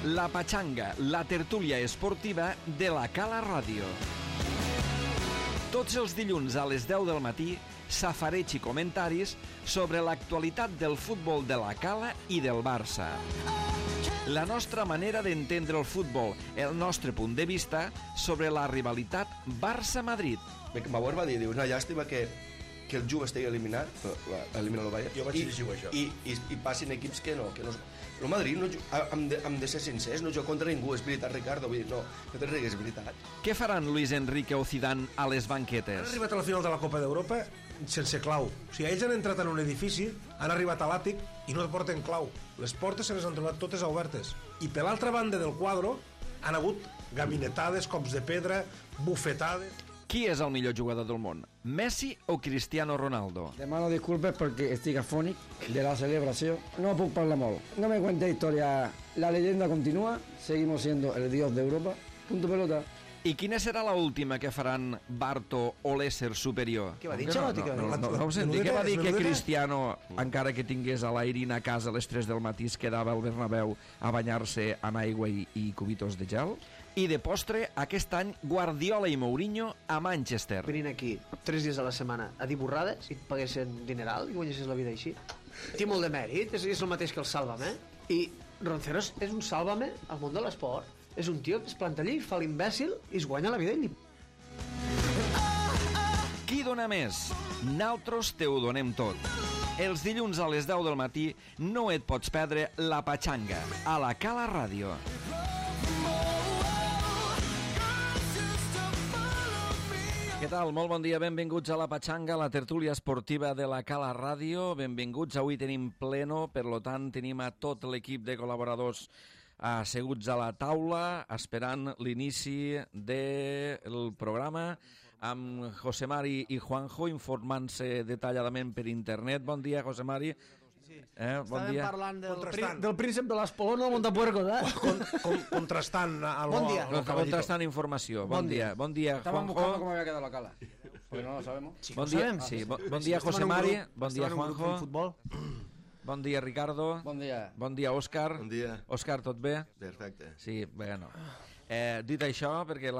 La Pachanga, la tertúlia esportiva de la Cala Ràdio. Tots els dilluns a les 10 del matí, safareig i comentaris sobre l'actualitat del futbol de la Cala i del Barça. La nostra manera d'entendre el futbol, el nostre punt de vista sobre la rivalitat Barça-Madrid. Bauer va dir, una llàstima que el Juve estigui eliminat, elimina el Bayern, jo vaig llegir això. I passin equips que no. El Madrid, hem de ser sincers, no juga contra ningú, és veritat, Ricardo, vull dir, no te rigues, és veritat. Què faran Luis Enrique o Zidane a les banquetes? Han arribat a la final de la Copa d'Europa sense clau. O sigui, ells han entrat en un edifici, han arribat a l'àtic i no porten clau. Les portes se les han trobat totes obertes. I per l'altra banda del quadre han hagut gabinetades, cops de pedra, bufetades. Qui és el millor jugador del món? Messi o Cristiano Ronaldo? Demano disculpes perquè estic afònic de la celebració. No puc parlar molt. No me cuente historia. La leyenda continúa. Seguimos siendo el dios de Europa. Punto pelota. I quina serà l'última que faran Barto o l'ésser superior? Què va dir, Xalotti? No ho senti. Què va dir que Cristiano, encara que tingués a l'Airín a casa a les 3 del matí, es quedava al Bernabéu a banyar-se amb aigua i cubitos de gel? I de postre, aquest any, Guardiola i Mourinho a Manchester. Venint aquí 3 dies a la setmana a dir borrades i et paguessin dineral i guanyessis la vida així. Té molt de mèrit, és el mateix que el Sálvame. I Ronceros és un Sálvame al món de l'esport. És un tio que es planta allí, fa l'imbècil i es guanya la vida i Qui dona més? Naltros te ho donem tot. Els dilluns a les 10 del matí no et pots perdre La Pachanga a la Cala Ràdio. Què tal? Molt bon dia, benvinguts a La Pachanga, la tertúlia esportiva de la Cala Ràdio. Benvinguts, avui tenim pleno, per lo tant tenim a tot l'equip de col·laboradors asseguts a la taula, esperant l'inici del programa, amb José Mari i Juanjo informant-se detalladament per internet. Bon dia, José Mari. Bon Estàvem dia. parlant del príncep de l'Espolón al Montapuercos, Contrastant Bon dia. Contrastant informació. Bon dia, Estaban buscando Juanjo. cómo había quedado la cala. Porque no lo sabemos. Bon dia, José Mari. Bon dia, Juanjo. Futbol. Bon dia, Ricardo. Bon dia. Bon dia, Òscar. Bon dia. Òscar, tot bé? Perfecte. Sí, bueno. Dit això, perquè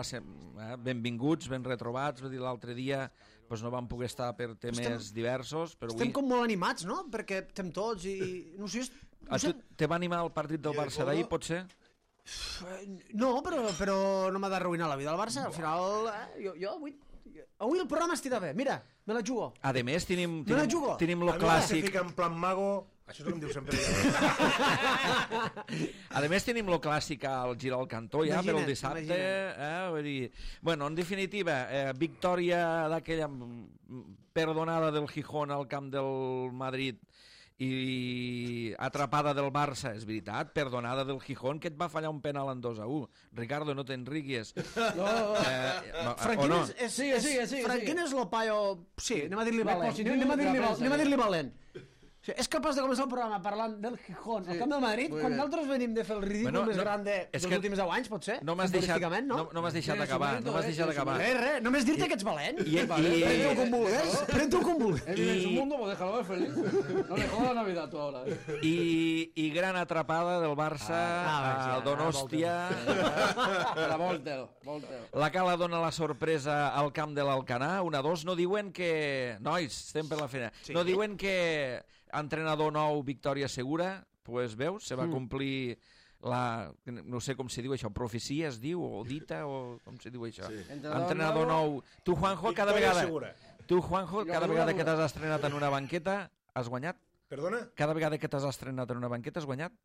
benvinguts, ben retrobats, vull dir, l'altre dia doncs no vam poder estar per temes diversos, però Estem avui... com molt animats, no? Perquè estem tots i... No sé, A tu te va animar el partit del Barça d'ahir, potser? no, però no m'ha d'arruïnar la vida al Barça. Al final, jo avui el programa estirà bé. Mira, me la jugo. A més, tenim Me la jugo. lo Se clàssic. fica en plan mago. Això és el que em diu sempre. A més, tenim lo clàssic al girar al cantó ja per el dissabte. Vull dir... Bueno, en definitiva, victòria d'aquella perdonada del Gijón al camp del Madrid i atrapada del Barça, és veritat, perdonada del Gijón, que et va fallar un penal en 2-1. Ricardo, no te'n riguis. Franquín no? Franquín és lo paio... Sí, anem a dir-li valent. positiu Anem a dir-li valent. O sigui, és capaç de començar el programa parlant del Gijón, al camp del Madrid, quan nosaltres venim de fer el ridícul més gran dels últims 10 anys, potser? No m'has deixat acabar. Només dir-te que ets valent. Pren-t'ho com vulguis. Pren-t'ho com vulguis. Él vive en su mundo, pues déjalo ver feliz. No le jodas la Navidad tú ahora. I gran atrapada del Barça al Donostia. Volteo. La Cala dona la sorpresa al camp de l'Alcanar, 1-2. No diuen que... Nois, estem per la feina. No diuen que entrenador nou, victòria segura. Pues veus, se va complir la... No sé com se diu això, profecia es diu, o dita, o com se diu això. Sí. Entrenador nou. Tu, Juanjo, cada Victòria vegada... segura. Tu, Juanjo, cada vegada que t'has estrenat en una banqueta, has guanyat? Perdona? Cada vegada que t'has estrenat en una banqueta, has guanyat?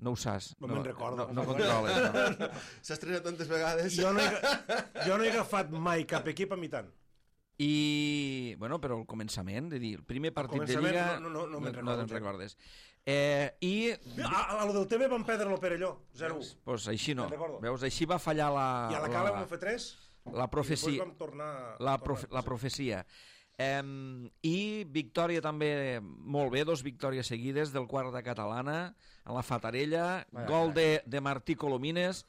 No ho saps. No me'n recordo. No controles, no. S'ha estrenat tantes vegades. Jo no he agafat mai cap equip a mi tant. I, bueno, però el començament, de dir, el primer partit de Lliga... No me'n recordo. No te'n recordes. I... A lo del TV van perdre-lo per allò, 0-1. Doncs així no. Me'n recordo. Veus, així va fallar la... I a la Cala vam fer 3. La profecia. I després vam tornar... La profecia. I victòria també molt bé, 2 victòries seguides del quart de Catalana en la Fatarella, gol de Martí Colomines,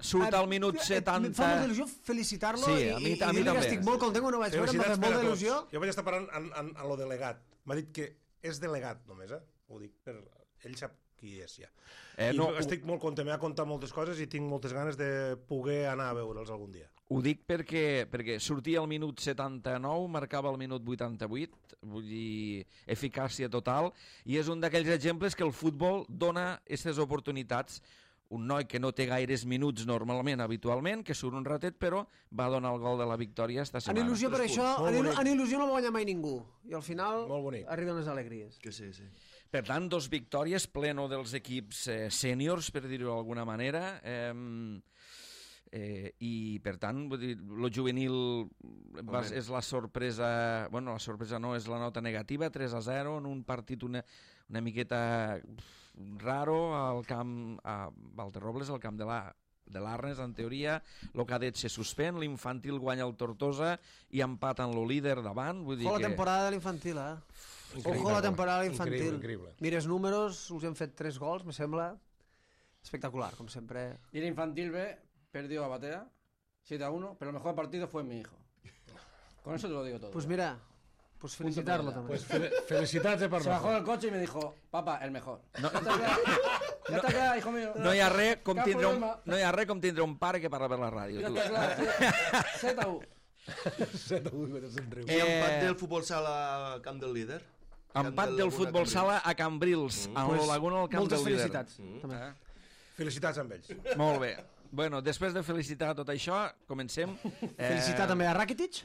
surt al minut 70. Em fa molta il·lusió felicitar-lo i dir-li que estic molt content, no vaig veure, m'ha fet molta il·lusió. Jo vaig estar parlant a lo delegat, m'ha dit que és delegat només, ho dic per... Ell sap qui és ja. No, estic molt content, m'ha contat moltes coses i tinc moltes ganes de poder anar a veure'ls algun dia. ho dic perquè sortia al minut 79, marcava al minut 88, vull dir, eficàcia total, i és un d'aquells exemples que el futbol dona aquestes oportunitats. Un noi que no té gaires minuts normalment, habitualment, que surt un ratet, però va donar el gol de la victòria esta En setmana. il·lusió per això, en il·lusió no va guanyar mai ningú. I al final Molt bonic. arriben les alegries. Que sí. Per tant, 2 victòries, pleno dels equips sèniors, per dir-ho d'alguna manera, i per tant, vull dir, lo juvenil és la sorpresa, bueno, la sorpresa no, és la nota negativa, 3-0 en un partit una miqueta raro al camp, a Valterrobles, al camp de l'Arnes, en teoria. El cadet se suspèn, l'infantil guanya el Tortosa i empaten lo líder davant. Vull dir Ojo la que... temporada de l'infantil, Increïble. Ojo la temporada de l'infantil. Increïble. Mires números, us hem fet 3 gols, me sembla espectacular, como siempre. Y el infantil B perdió a Batea 7-1, pero el mejor partido fue mi hijo. Con eso te lo digo todo. Pues mira, pues felicitarlo también. Felicitats per se bajó del coche y me dijo, papá, el mejor. No, Ya está claro, hijo mío. no hi ha res com Cap tindre problema. no hi ha res com tindre un pare que parla per la ràdio. Ya Tu. está claro. Z1. I empat del futbol sala camp del líder. Empat del futbol sala a Cambrils, a la Laguna al camp Moltes del líder. felicitats. També. Felicitats amb ells. Molt bé. Bueno, després de felicitar tot això, comencem. Felicitar també a Rakitic,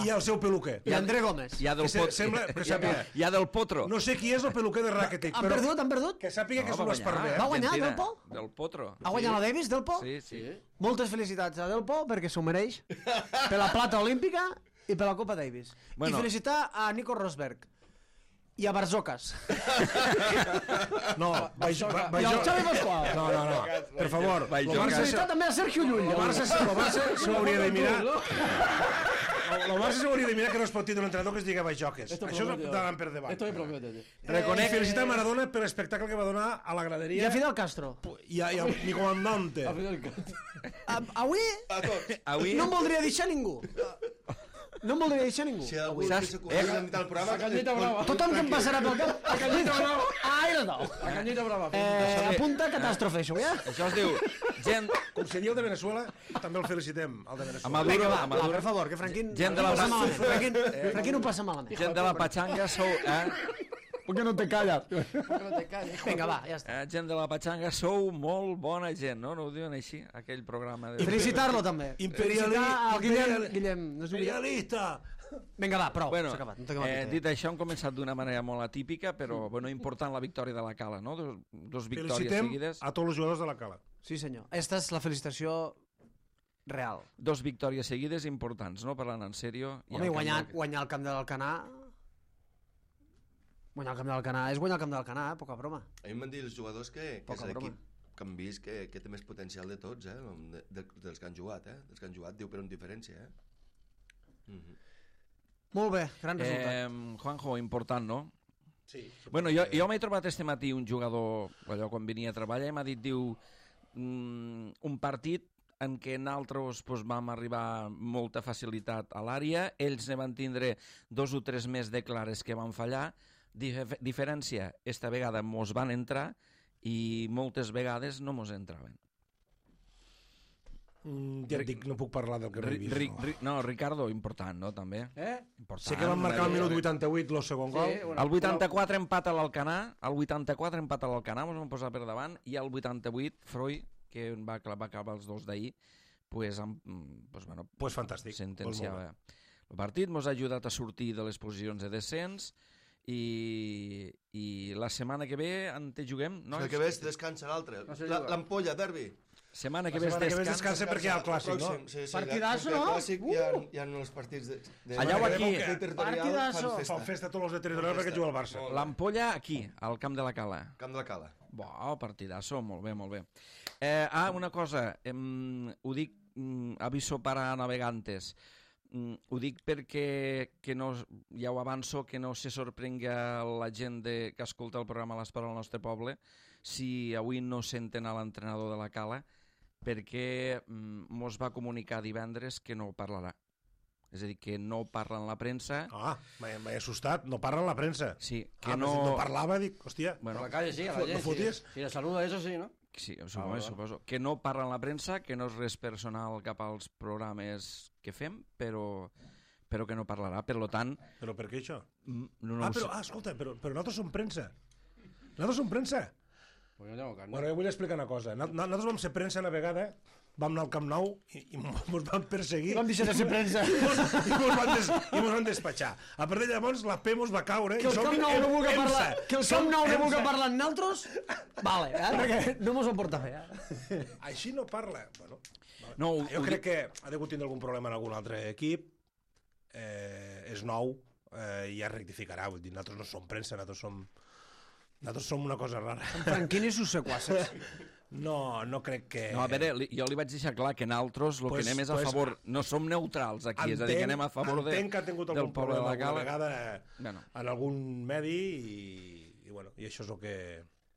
I al seu peluquer. i a André Gómez. Hi ha del, Que sembla- però sàpiga. hi ha del Potro. No sé qui és el peluquer de Rakitic, Han però perdut, han perdut? que sàpiga que és va un guanyar. esparver. Va guanyar Argentina. Delpo? Del Potro. Ha guanyat la Davis, Delpo? Sí, sí. Moltes felicitats a Delpo, perquè s'ho mereix, per la plata olímpica i per la Copa Davis. Bueno. I felicitar a Nico Rosberg i a Barzocas. No, I al Xavi Pasqual. No. Per favor, Vaig el jugar. Barça Felicitar també a Sergio Llull. el Barça s'ho hauria de mirar. El Barça s'hauria de mirar que no es pot tindre un entrenador que es digui Bajoques. Això és davant per davant. Esto me promete, tío. Reconec felicitar a Maradona per l'espectacle que va donar a la I graderia a Fidel Castro. i a mi comandante. Avui A tots. Avui... no em voldria deixar ningú. No em voldria deixar ningú. Si algú Saps? que s'acudirà a mitjà del programa... Cañita brava. Tothom que em passarà pel cap... A Cañita Brava. Ai, no. A Cañita brava. Apunta catàstrofe, això, ja? Això es diu gent... Com si el de Venezuela, també el felicitem, el de A Venezuela. Maduro, Va, a Maduro. per favor, que Franquín... Gent de la passa Brasa. malament. Franquín ho passa malament. Gent de la Pachanga sou... ¿Por qué no te callas? ¿Por qué no te callas? hijo? Vinga, va, ja està. Gent de la Pachanga sou molt bona gent, no? No ho diuen així, aquell programa. De... Felicitar-lo també. Felicitar al Guillem. No és un Guillem. Imperialista! Vinga, va, prou. Bueno, S'ha acabat. No toquem el pit. dit això, hem començat d'una manera molt atípica, però bueno, important la victòria de la Cala, no? Dos victòries Felicitem seguides. a tots els jugadors de la Cala. Sí, senyor. Esta és la felicitació real. Dos victòries seguides importants, no? Parlant en sèrio. Home, i guanyar el camp de l'Alcanar... Guanyar el camp de l'Alcanar és guanyar el camp de l'Alcanar, poca broma. A mi m'han dit els jugadors que Poca és broma. l'equip que han vist que té més potencial de tots, dels que han jugat, Dels que han jugat, diu per una diferència, Molt bé, gran resultat. Juanjo, important, no? Sí. Bueno, jo m'he trobat este matí un jugador, allò quan venia a treballar, i m'ha dit, diu, un partit en què nosaltres pues, vam arribar amb molta facilitat a l'àrea, ells ne van tindre 2 o 3 més de clares que van fallar, diferència, esta vegada mos van entrar i moltes vegades no mos entraven. Ja et dic, no puc parlar del que no he vist. No, Ricardo, important, no, també? Important. Sé que van marcar al minut 88 el segon gol. Al 84 empat a l'Alcanar, al 84 empat a l'Alcanar, ens vam posar per davant, i al 88 Freud, que va acabar els 2 d'ahir, pues bueno, Pues fantàstic. sentenciava el partit, ens ha ajudat a sortir de les posicions de descens, i la setmana que ve en te juguem, no? El que ve descansa l'altre. L'ampolla, derbi. Setmana que La ve setmana que ve descansa. descansa perquè hi ha el clàssic, no? Sí, Partidazo, no? Clàssic, hi ha els partits de Allà o aquí? Partidazo. Fan festa tots els de territorial perquè juga el Barça. L'ampolla aquí, al camp de la Cala. Camp de la Cala. Bo, partidazo, molt bé, molt bé. Una cosa, ho dic, aviso para navegantes. Ho dic perquè que no, ja ho avanço, que no se sorprenga la gent que escolta el programa L'Esport al nostre poble si avui no senten a l'entrenador de la Cala, perquè mos va comunicar divendres que no parlarà. És a dir, que no parla en la premsa. M'he assustat, no parla en la premsa. Sí, que no parlava, dic, hòstia... Bueno, Por la calle sí, a la ¿no gente. foties? Si le saluda, eso sí, ¿no? sí, suposo. Que no parla en la premsa, que no és res personal cap als programes que fem, però que no parlarà. Per tant... Però per què això? No ho sé. Escolta, però nosaltres som premsa. Nosaltres som premsa. Pues yo tengo carne. Bueno, jo vull explicar una cosa. Nosaltres vam ser premsa una vegada, vam anar al Camp Nou i mos van perseguir. Vam deixar de ser premsa. I mos van despatxar. A partir de llavors la P mos va caure Que el Camp Nou no vulgui parlar, que el Camp Nou no vulgui parlar amb nosaltres, vale, perquè no mos ho porta bé. Així no parla. Bueno, No, jo crec que ha degut tindre algun problema en algun altre equip, és nou, i ja rectificarà. Vull dir, nosaltres no som premsa, nosaltres som una cosa rara. Franquini i sus sequasses. No crec que... No, a veure, jo li vaig deixar clar que nosaltres el que anem és a favor... No som neutrals aquí, és a dir, que anem a favor entenc que ha tingut del algun poble de problema la Cala. alguna vegada Bueno. en algun medi i això és el que...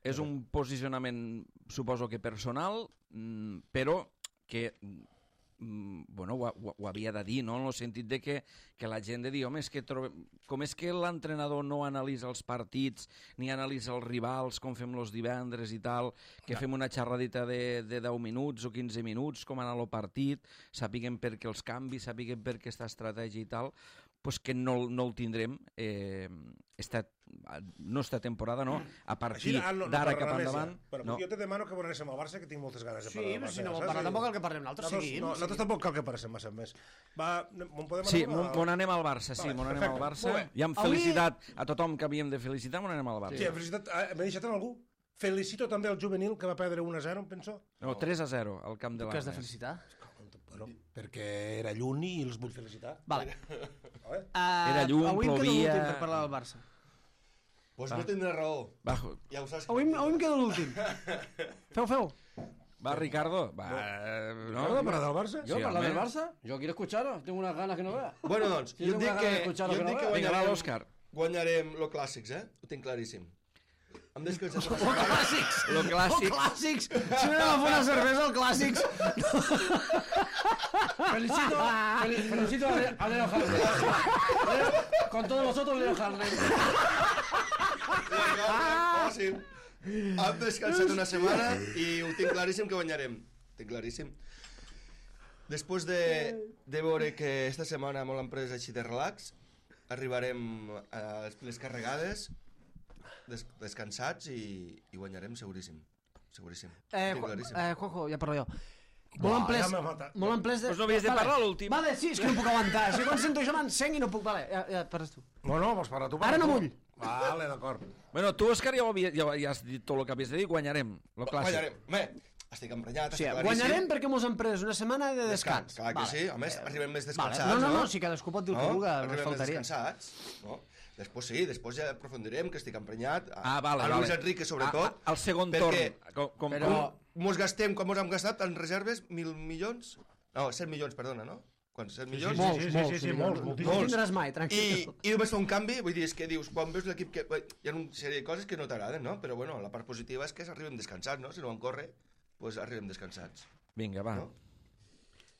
És un posicionament, suposo que personal, però que bueno, ho havia de dir, no? En el sentit de que la gent de dir, home, com és que l'entrenador no analitza els partits ni analitza els rivals, com fem els divendres i tal, que fem una xerradita de 10 minuts o 15 minuts, com anar el partit, sapiguem per què els canvis, sapiguem per què aquesta estratègia i tal, pues que no el tindrem no esta temporada, no, a partir d'ara cap endavant. No. Jo te demano que vonem al Barça, que tinc moltes ganes de parlar del Barça. Sí, si no vol parlar tampoc cal que parlem nosaltres, seguim. Nosaltres tampoc cal que parlem massa més. M'on podem Sí, anar? m'on anem al Barça, sí, m'on anem al Barça. I amb felicitat a tothom que havíem de felicitar, m'on anem al Barça. Sí, felicitat. M'he deixat en algú? Felicito també el juvenil, que va perdre 1-0, em penso. No, 3-0 al camp de Que has de l'Arnes. felicitar? Bueno, perquè era lluny i els vull felicitar. Vale. Era llum, avui em quedo plovia. l'últim per parlar del Barça. Pues no tindrà raó. Bajo. Ja ho saps. Avui em quedo l'últim. Feu. Va, Ricardo. Va, No, de parlar del Barça? ¿Yo Sí, hablar del hombre. Barça? Yo quiero escucharos, tengo unas ganas que no veas. Bueno, doncs, Sí, jo tengo et dic unas ganas de que escuchar lo que no veas. Vinga, va, l'Òscar. guanyarem lo clàssics, Ho tinc claríssim. Em descansat. Clàssics! Lo clàssic. Clàssics! Si no anem a fer una cervesa, el clàssics! Felicito a Leo Harlem. Con todos vosotros, Leo Harlem. Fàcil. Hem descansat una setmana i ho tinc claríssim que guanyarem. Tinc claríssim. Després de veure que esta setmana molt hem pres així de relax, arribarem a les piles carregades, descansats i guanyarem seguríssim. Seguríssim. Tinc claríssim. Juanjo, ja parlo jo. Buah, ja m'ha matat. Molt en ples de... Pues no havies de parlar l'últim. Vale, sí, és que no puc aguantar. Si quan sento això m'encenc i no puc... Vale, ja parles tu. No, vols parlar tu? Ara no vull. Vale, d'acord. Bueno, tu, Òscar, ja has dit tot el que havies de dir. Guanyarem, lo clàssic. Guanyarem. Home, estic emprenyat, Sí, estic claríssim. guanyarem perquè mos hem pres una setmana de descans. Clar que Vale. sí, a més, arribem més Vale. descansats, No, si cadascú pot dir el que vulgui, Arribem ens més faltaria. descansats, no? Després sí, després ja aprofundirem, que estic emprenyat. Vale. A Luis Enrique, sobretot. Al segon perquè torn. Però... mos gastem, com mos hem gastat en reserves, 1.000 milions? No, 100 milions, perdona, no? Quants? 100 milions? Sí, molts. No tindràs mai, tranquil. I només fa un canvi, vull dir, és que dius, quan veus l'equip que... Hi ha una sèrie de coses que no t'agraden, no? Però bueno, la part positiva és que arribem descansats, no? Si no van córrer, doncs arribem descansats. Vinga, va. No?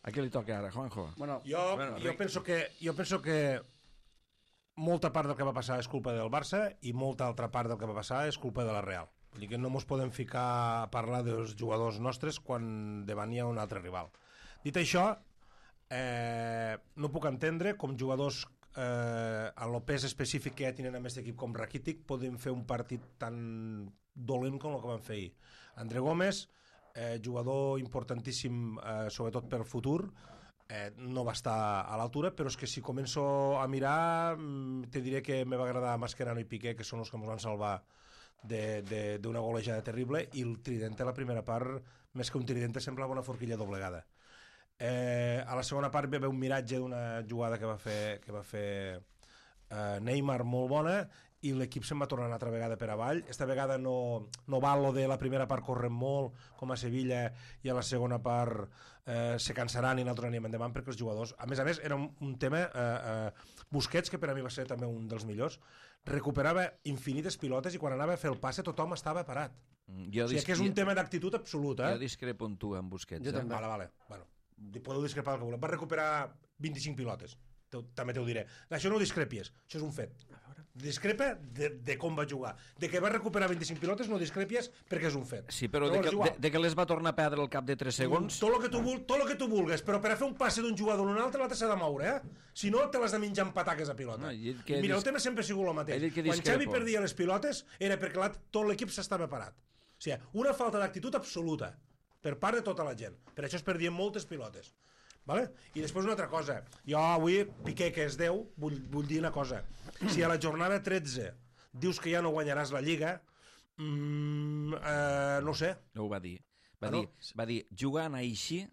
A qui li toca ara, Juanjo? Bueno, Jo penso que molta part del que va passar és culpa del Barça i molta altra part del que va passar és culpa de la Real. Vull dir que no mos podem ficar a parlar dels jugadors nostres quan davant hi ha un altre rival. Dit això, no puc entendre com jugadors en el pes específic que ja tenen amb aquest equip com Rakitic podem fer un partit tan dolent com el que van fer ahir. André Gómez, jugador importantíssim sobretot per futur, no va estar a l'altura, però és que si començo a mirar te diré que me va agradar Mascherano i Piqué, que són els que ens van salvar d'una golejada terrible, i el trident a la primera part, més que un trident, semblava una forquilla doblegada. A la segona part va haver un miratge d'una jugada que va fer Neymar molt bona, i l'equip se'n va tornar una altra vegada per avall. Esta vegada no val lo de la primera part corrent molt, com a Sevilla, i a la segona part se cansaran i nosaltres anem endavant, perquè els jugadors... A més, era un tema... Busquets, que per a mi va ser també un dels millors, recuperava infinites pilotes i quan anava a fer el passe tothom estava parat. O sigui que és un tema d'actitud absoluta. Jo discrepo amb tu, amb Busquets. Jo també. Vale. Bueno, podeu discrepar el que voleu. Va recuperar 25 pilotes. també t'ho diré. Això no ho discrepies, això és un fet. Discrepa de com va jugar. De que va recuperar 25 pilotes no discrepies perquè és un fet. Sí, però de que les va tornar a perdre al cap de 3 segons... Tot el que tu vulgues, però per a fer un passe d'un jugador a un altre l'altre s'ha de moure, Si no, te l'has de menjar amb pataques a pilota. Mira, el tema sempre ha sigut el mateix. Quan Xavi perdia les pilotes era perquè tot l'equip s'estava parat. O sigui, una falta d'actitud absoluta per part de tota la gent. Per això es perdien moltes pilotes. Vale? I després una altra cosa. Jo avui, Piqué, que és 10, vull dir una cosa. Si a la jornada 13 dius que ja no guanyaràs la Lliga, no ho sé. No ho va dir. Va dir, jugant així,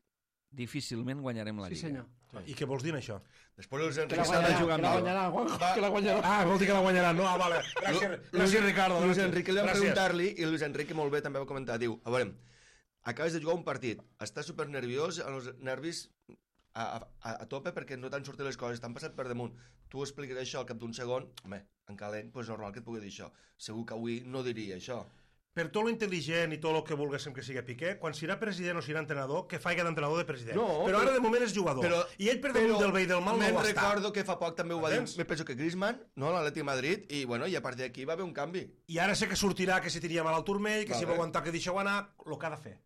difícilment guanyarem la Lliga. Sí, senyor. I què vols dir això? Després Luis Enrique Que la guanyarà. Vol dir que la guanyarà. No, vale. Gràcies, Ricardo. Luis Enrique li va preguntar-li i Luis Enrique molt bé també va comentar. Diu, a veure, acabes de jugar un partit, estàs super nerviós, els nervis a tope perquè no t'han sortit les coses, t'han passat per damunt. Tu expliques això al cap d'un segon, home, en calent, doncs normal que et pugui dir això. Segur que avui no diria això. Per tot lo intel·ligent i tot el que volguéssim que sigui Piqué, quan serà president o serà entrenador, que faci d'entrenador de president. No, però ara de moment és jugador. I ell per damunt del bé i del mal no ho està. Recordo que fa poc també ho va dir, me penso que Griezmann, no, l'Atlètic Madrid, i bueno, i a partir d'aquí va haver un canvi. I ara sé que sortirà que si tenia mal al turmell, que si va aguantar que deixeu anar, el que ha de fer.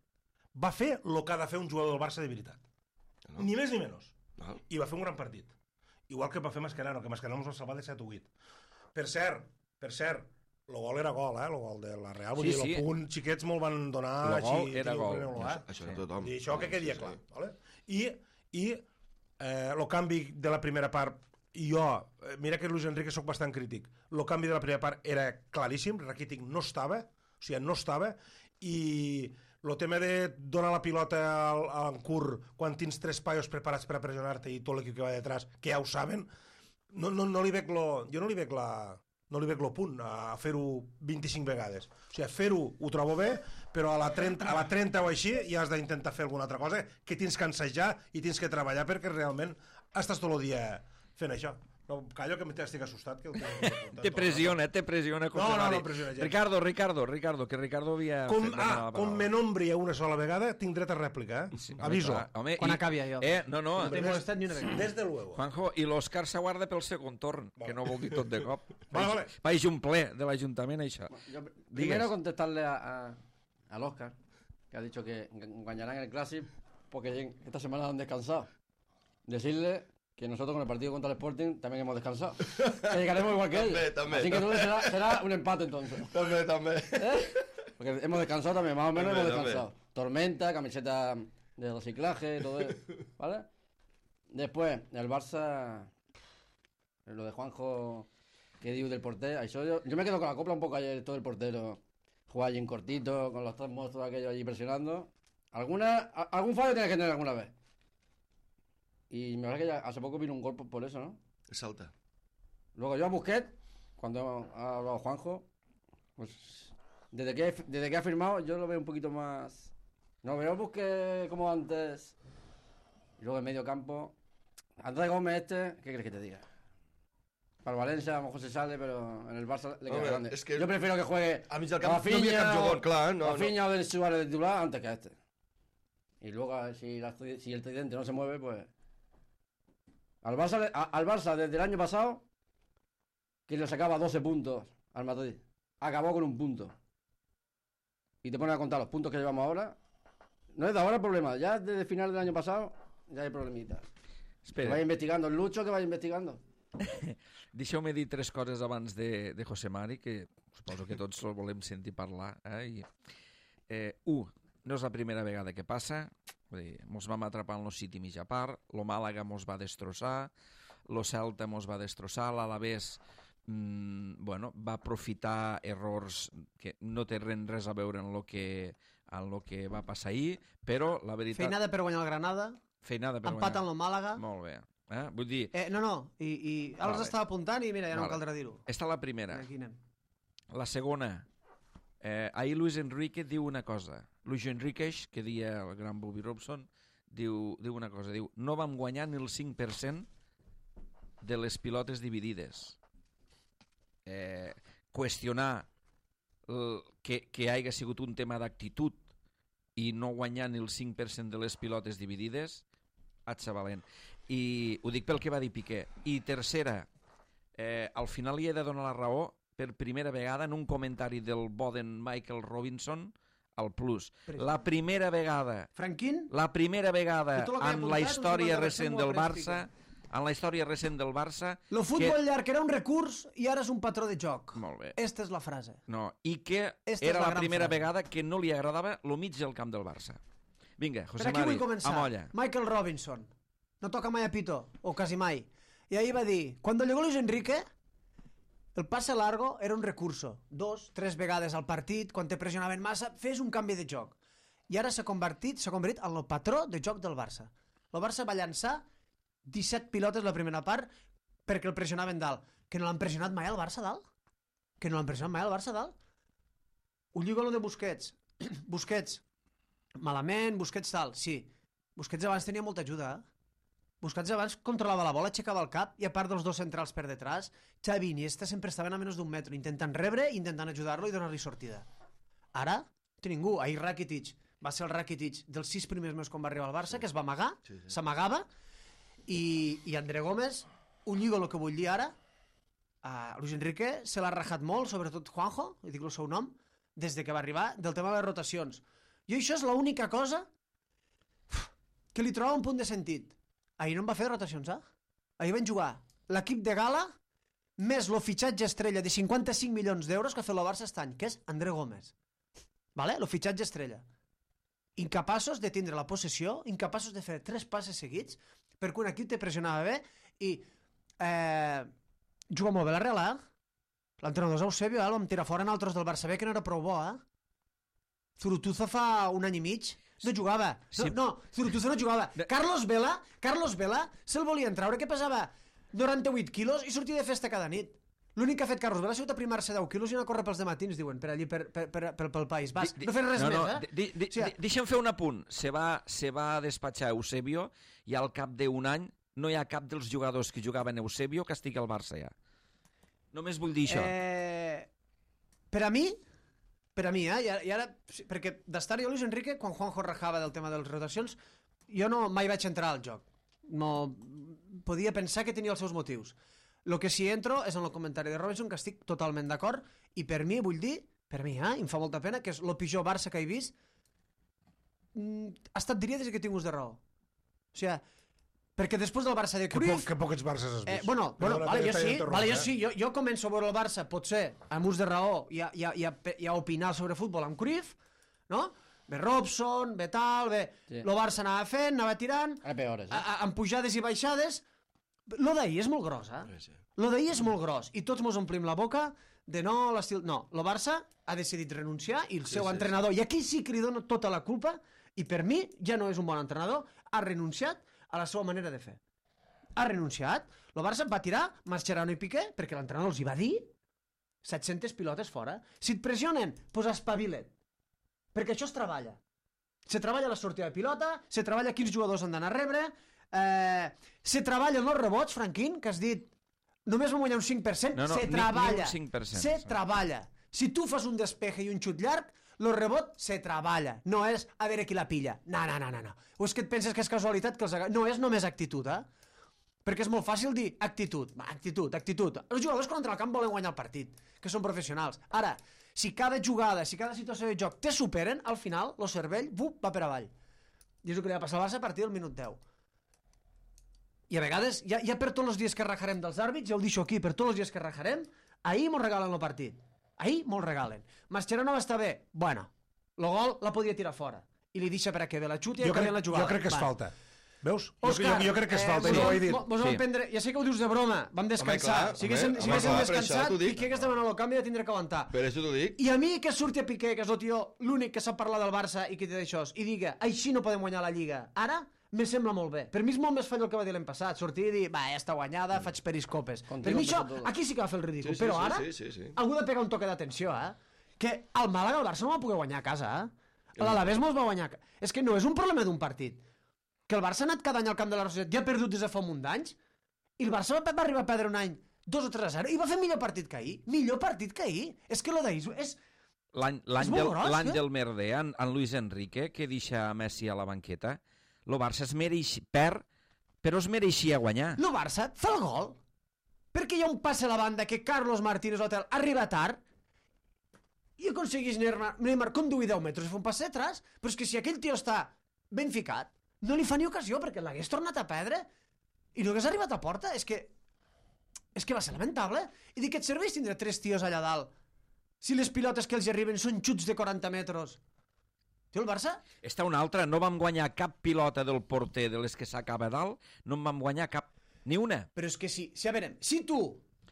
Va fer el que ha de fer un jugador del Barça de veritat. Ni més ni menys. I va fer un gran partit. Igual que va fer Mascherano, que Mascherano ens va salvar de 7 o 8. Per cert, el gol era gol, el gol de la Real. Vull dir, el punt, xiquets me'l van donar... El gol era gol. Això era tothom. I això que quedi clar. I el canvi de la primera part, mira que Luis Enrique soc bastant crític, el canvi de la primera part era claríssim, Rakitic no estava, i el tema de donar la pilota a Ancur quan tens 3 paios preparats per a pressionar-te i tot l'equip que va detrás, que ja ho saben, jo no li veig el punt a fer-ho 25 vegades. O sigui, fer-ho ho trobo bé, però a la 30 o així ja has d'intentar fer alguna altra cosa, que tens que ensejar i tens que treballar perquè realment estàs tot el dia fent això. No, callo que estic assustat. Te pressiona. No pressiona gens. Ricardo, que Ricardo havia... Com me nombri una sola vegada, tinc dret a rèplica, Sí, aviso. Home, quan acabi allò. No t'he molestat ni una vegada. Desde luego. Juanjo, i l'Òscar s'aguarda pel segon torn, que no vol dir tot de cop. Vale. Vaig un ple de l'Ajuntament, això. Primero contestarle al Óscar, que ha dicho que ganarán el Clásico porque esta semana han descansado. Decirle que nosotros con el partido contra el Sporting también hemos descansado. Que llegaremos igual que ellos. También. Así que será un empate entonces. También. Porque hemos descansado también, más o menos hemos descansado. Tormenta, camiseta de reciclaje, todo eso. ¿Vale? Después, el Barça, lo de Juanjo, que digo del portero. Yo me quedo con la copla un poco ayer, todo el portero. Jugar allí en cortito, con los 3 monstruos aquellos allí presionando. Algún fallo tiene que tener alguna vez. Y me parece que ya hace poco vino un gol por eso, ¿no? Salta. Luego yo a Busquets, cuando ha hablado Juanjo, pues desde que ha firmado yo lo veo un poquito más... No veo a Busquets como antes. Y luego en medio campo, Andrés Gómez ¿qué crees que te diga? Para el Valencia a lo mejor se sale, pero en el Barça le queda grande. Es que yo prefiero que juegue a mig del camp no havia cap jugador, clar. Rafinha o Denis Suárez de titular antes que este. Y luego si el tridente no se mueve, pues... Al Barça desde el año pasado, que le sacaba 12 puntos al Madrid, acabó con 1 punto. Y te pones a contar los puntos que llevamos ahora. No es de ahora el problema, ya desde el final del año pasado ya hay problemitas. Espera. Que vaya investigando el Lucho, que vaya investigando. Deixeu-me dir 3 coses abans de José Mari, que suposo que tots el volem sentir parlar. No és la primera vegada que passa. Mos vam atrapar en el City mig a part, lo Màlaga mos va destrossar, lo Celta mos va destrossar, l'Alavés va aprofitar errors que no tenen res a veure en lo que va passar ahir, però la veritat... Feinada per guanyar el Granada, empat en el Màlaga... Molt bé. Vull dir... I ara els estava apuntant i mira, ja no caldrà dir-ho. Esta la primera. Aquí anem. La segona... ahir Luis Enrique diu una cosa. Luis Enrique, que deia el gran Bobby Robson, diu una cosa. Diu, no vam guanyar ni el 5% de les pilotes dividides. Qüestionar que hagi sigut un tema d'actitud i no guanyar ni el 5% de les pilotes dividides, atxa valent. I ho dic pel que va dir Piqué. I tercera, al final li he de donar la raó per primera vegada en un comentari del Boden Michael Robinson al Plus. La primera vegada Franquín? La primera vegada I tot el que he en apuntat, la un història 50% recent ho del ha pres Barça, en la història recent del Barça... Lo futbol llarg era un recurs i ara és un patró de joc. Molt bé. Esta és la frase. No, i que Esta és era la la gran primera frase. vegada que no li agradava lo mig del camp del Barça. Vinga, Per José aquí Mari, vull començar. amolla. Michael Robinson. No toca mai a pito, o quasi mai. I ahir va dir, cuando llegó Luis Enrique, el pase largo era un recurso. 2, 3 vegades al partit, quan te pressionaven massa, fes un canvi de joc. I ara s'ha convertit en el patró de joc del Barça. El Barça va llançar 17 pilotes la primera part perquè el pressionaven dalt. Que no l'han pressionat mai al Barça dalt? Que no l'han pressionat mai al Barça dalt? Ho lligo a lo de Busquets. Busquets, malament, Busquets tal, sí. Busquets abans tenia molta ajuda, Busquets abans controlava la bola, aixecava el cap, i a part dels dos centrals per detrás, Xavi i Iniesta sempre estaven a menys d'un metro, intentant rebre, intentant ajudar-lo i donar-li sortida. Ara, té ningú. Ahir Rakitic va ser el Rakitic dels 6 primers mesos quan va arribar al Barça, que es va amagar, s'amagava, i André Gómez, ho lligo el que vull dir ara, Luis Enrique se l'ha rajat molt, sobretot Juanjo, i dic el seu nom, des de que va arribar, del tema de les rotacions. Jo això és l'única cosa que li troba un punt de sentit. Ahir no em va fer rotacions, Ahir van jugar l'equip de gala més el fitxatge estrella de 55 milions d'euros que ha fet el Barça aquest any, que és André Gómez. Vale? El fitxatge estrella. Incapaços de tindre la possessió, incapaços de fer 3 passes seguits, perquè un equip te pressionava bé i juga molt bé la Real, L'entrenador és Eusebio, el vam tirar fora en altres del Barça B, que no era prou bo, Zurutuza fa un any i mig no jugava. No, Zurutuza no jugava. Carlos Vela se'l volien treure, que pesava 98 quilos i sortia de festa cada nit. L'únic que ha fet Carlos Vela ha sigut aprimar-se 10 quilos i anar a córrer pels dematins, diuen, per allí, pel País Basc. No fer res més, Deixa'm fer un apunt. Se va despatxar Eusebio i al cap d'un any no hi ha cap dels jugadors que jugaven Eusebio que estigui al Barça ja. Només vull dir això. Per a mi, i ara, perquè d'estar jo Luis Enrique, quan Juanjo rajava del tema de les rotacions, jo no mai vaig entrar al joc. No podia pensar que tenia els seus motius. El que sí entro és en el comentari de Robinson, que estic totalment d'acord, i per mi, vull dir, em fa molta pena, que és el pitjor Barça que he vist, ha estat, diria, des que he tingut de raó. O sigui, perquè després del Barça de Cruyff... Que pocs Barças has vist. Jo sí, jo començo a veure el Barça, potser, amb ús de raó, i a opinar sobre futbol amb Cruyff, no? Ve Robson, ve tal, ve... El Barça anava fent, anava tirant, amb pujades i baixades. Lo d'ahir és molt gros, Lo d'ahir és molt gros, i tots mos omplim la boca de no, l'estil... No, el Barça ha decidit renunciar, i el seu entrenador, i aquí sí que li dono tota la culpa, i per mi ja no és un bon entrenador, ha renunciat a la seva manera de fer. Ha renunciat. El Barça va tirar Mascherano i Piqué perquè l'entrenador els hi va dir 700 pilotes fora. Si et pressionen, doncs espavila't. Perquè això es treballa. Se treballa la sortida de pilota, se treballa quins jugadors han d'anar a rebre, se treballa els rebots, Franquín, que has dit només vam guanyar un 5%, se treballa. Se treballa. Si tu fas un despeje i un xut llarg, el rebot se treballa, no és a veure qui la pilla. No. O és que et penses que és casualitat que els no és només actitud, Perquè és molt fàcil dir actitud. Actitud. Els jugadors quan entren al camp volen guanyar el partit, que són professionals. Ara, si cada jugada, si cada situació de joc te superen, al final, el cervell va per avall. I és el que li va passar al Barça a partir del minut 10. I a vegades, ja per tots els dies que rajarem dels àrbits, ja ho deixo aquí, per tots els dies que rajarem, ahir mos regalen el partit. Ahir molt regalen. Mascherano va estar bé. Bueno, el gol la podia tirar fora. I li deixa per a que ve la xuti i acabi la jugada. Jo crec que és falta. Veus? Òscar, jo crec que és falta, i no ho he dit. Ja sé que ho dius de broma, vam descansar. Si haguéssim descansat, Piqué que estava en el canvi de tindre que aguantar. Per això t'ho dic. I a mi que surti a Piqué, que és el tio l'únic que sap parlar del Barça i que té d'això, i diga, així no podem guanyar la Lliga. Ara me sembla molt bé. Per mi és molt més falla el que va dir l'any passat. Sortir i dir, ja està guanyada, faig periscopes. Per mi això, aquí sí que va fer el ridícul. Però ara, algú ha de pegar un toque d'atenció, que el Màlaga, el Barça no va poder guanyar a casa, L'Alavés mos va guanyar. És que no és un problema d'un partit. Que el Barça ha anat cada any al camp de la Roseta, ja ha perdut des de fa un munt d'anys, i el Barça va arribar a perdre un any 2 o 3-0, i va fer millor partit que ahir. Millor partit que ahir. És que lo d'ahir és... L'any del merder, en Luis Enrique, que deixa Messi a la banqueta, el Barça es mereix perd Però es mereixia guanyar. El Barça fa el gol. Perquè hi ha un passe a la banda que Carlos Martínez Hotel arriba tard i aconsegueix Neymar conduir 10 metres i fer un passe atrás. Però és que si aquell tio està ben ficat, no li fa ni ocasió perquè l'hagués tornat a perdre i no hagués arribat a porta. És que va ser lamentable. I dic que et serveix tindre 3 tios allà dalt si les pilotes que els arriben són xuts de 40 metres. Tio, el Barça... Està una altra, no vam guanyar cap pilota del porter de les que s'acaba dalt, no en vam guanyar cap, ni una. Però és que sí, a veure, si tu...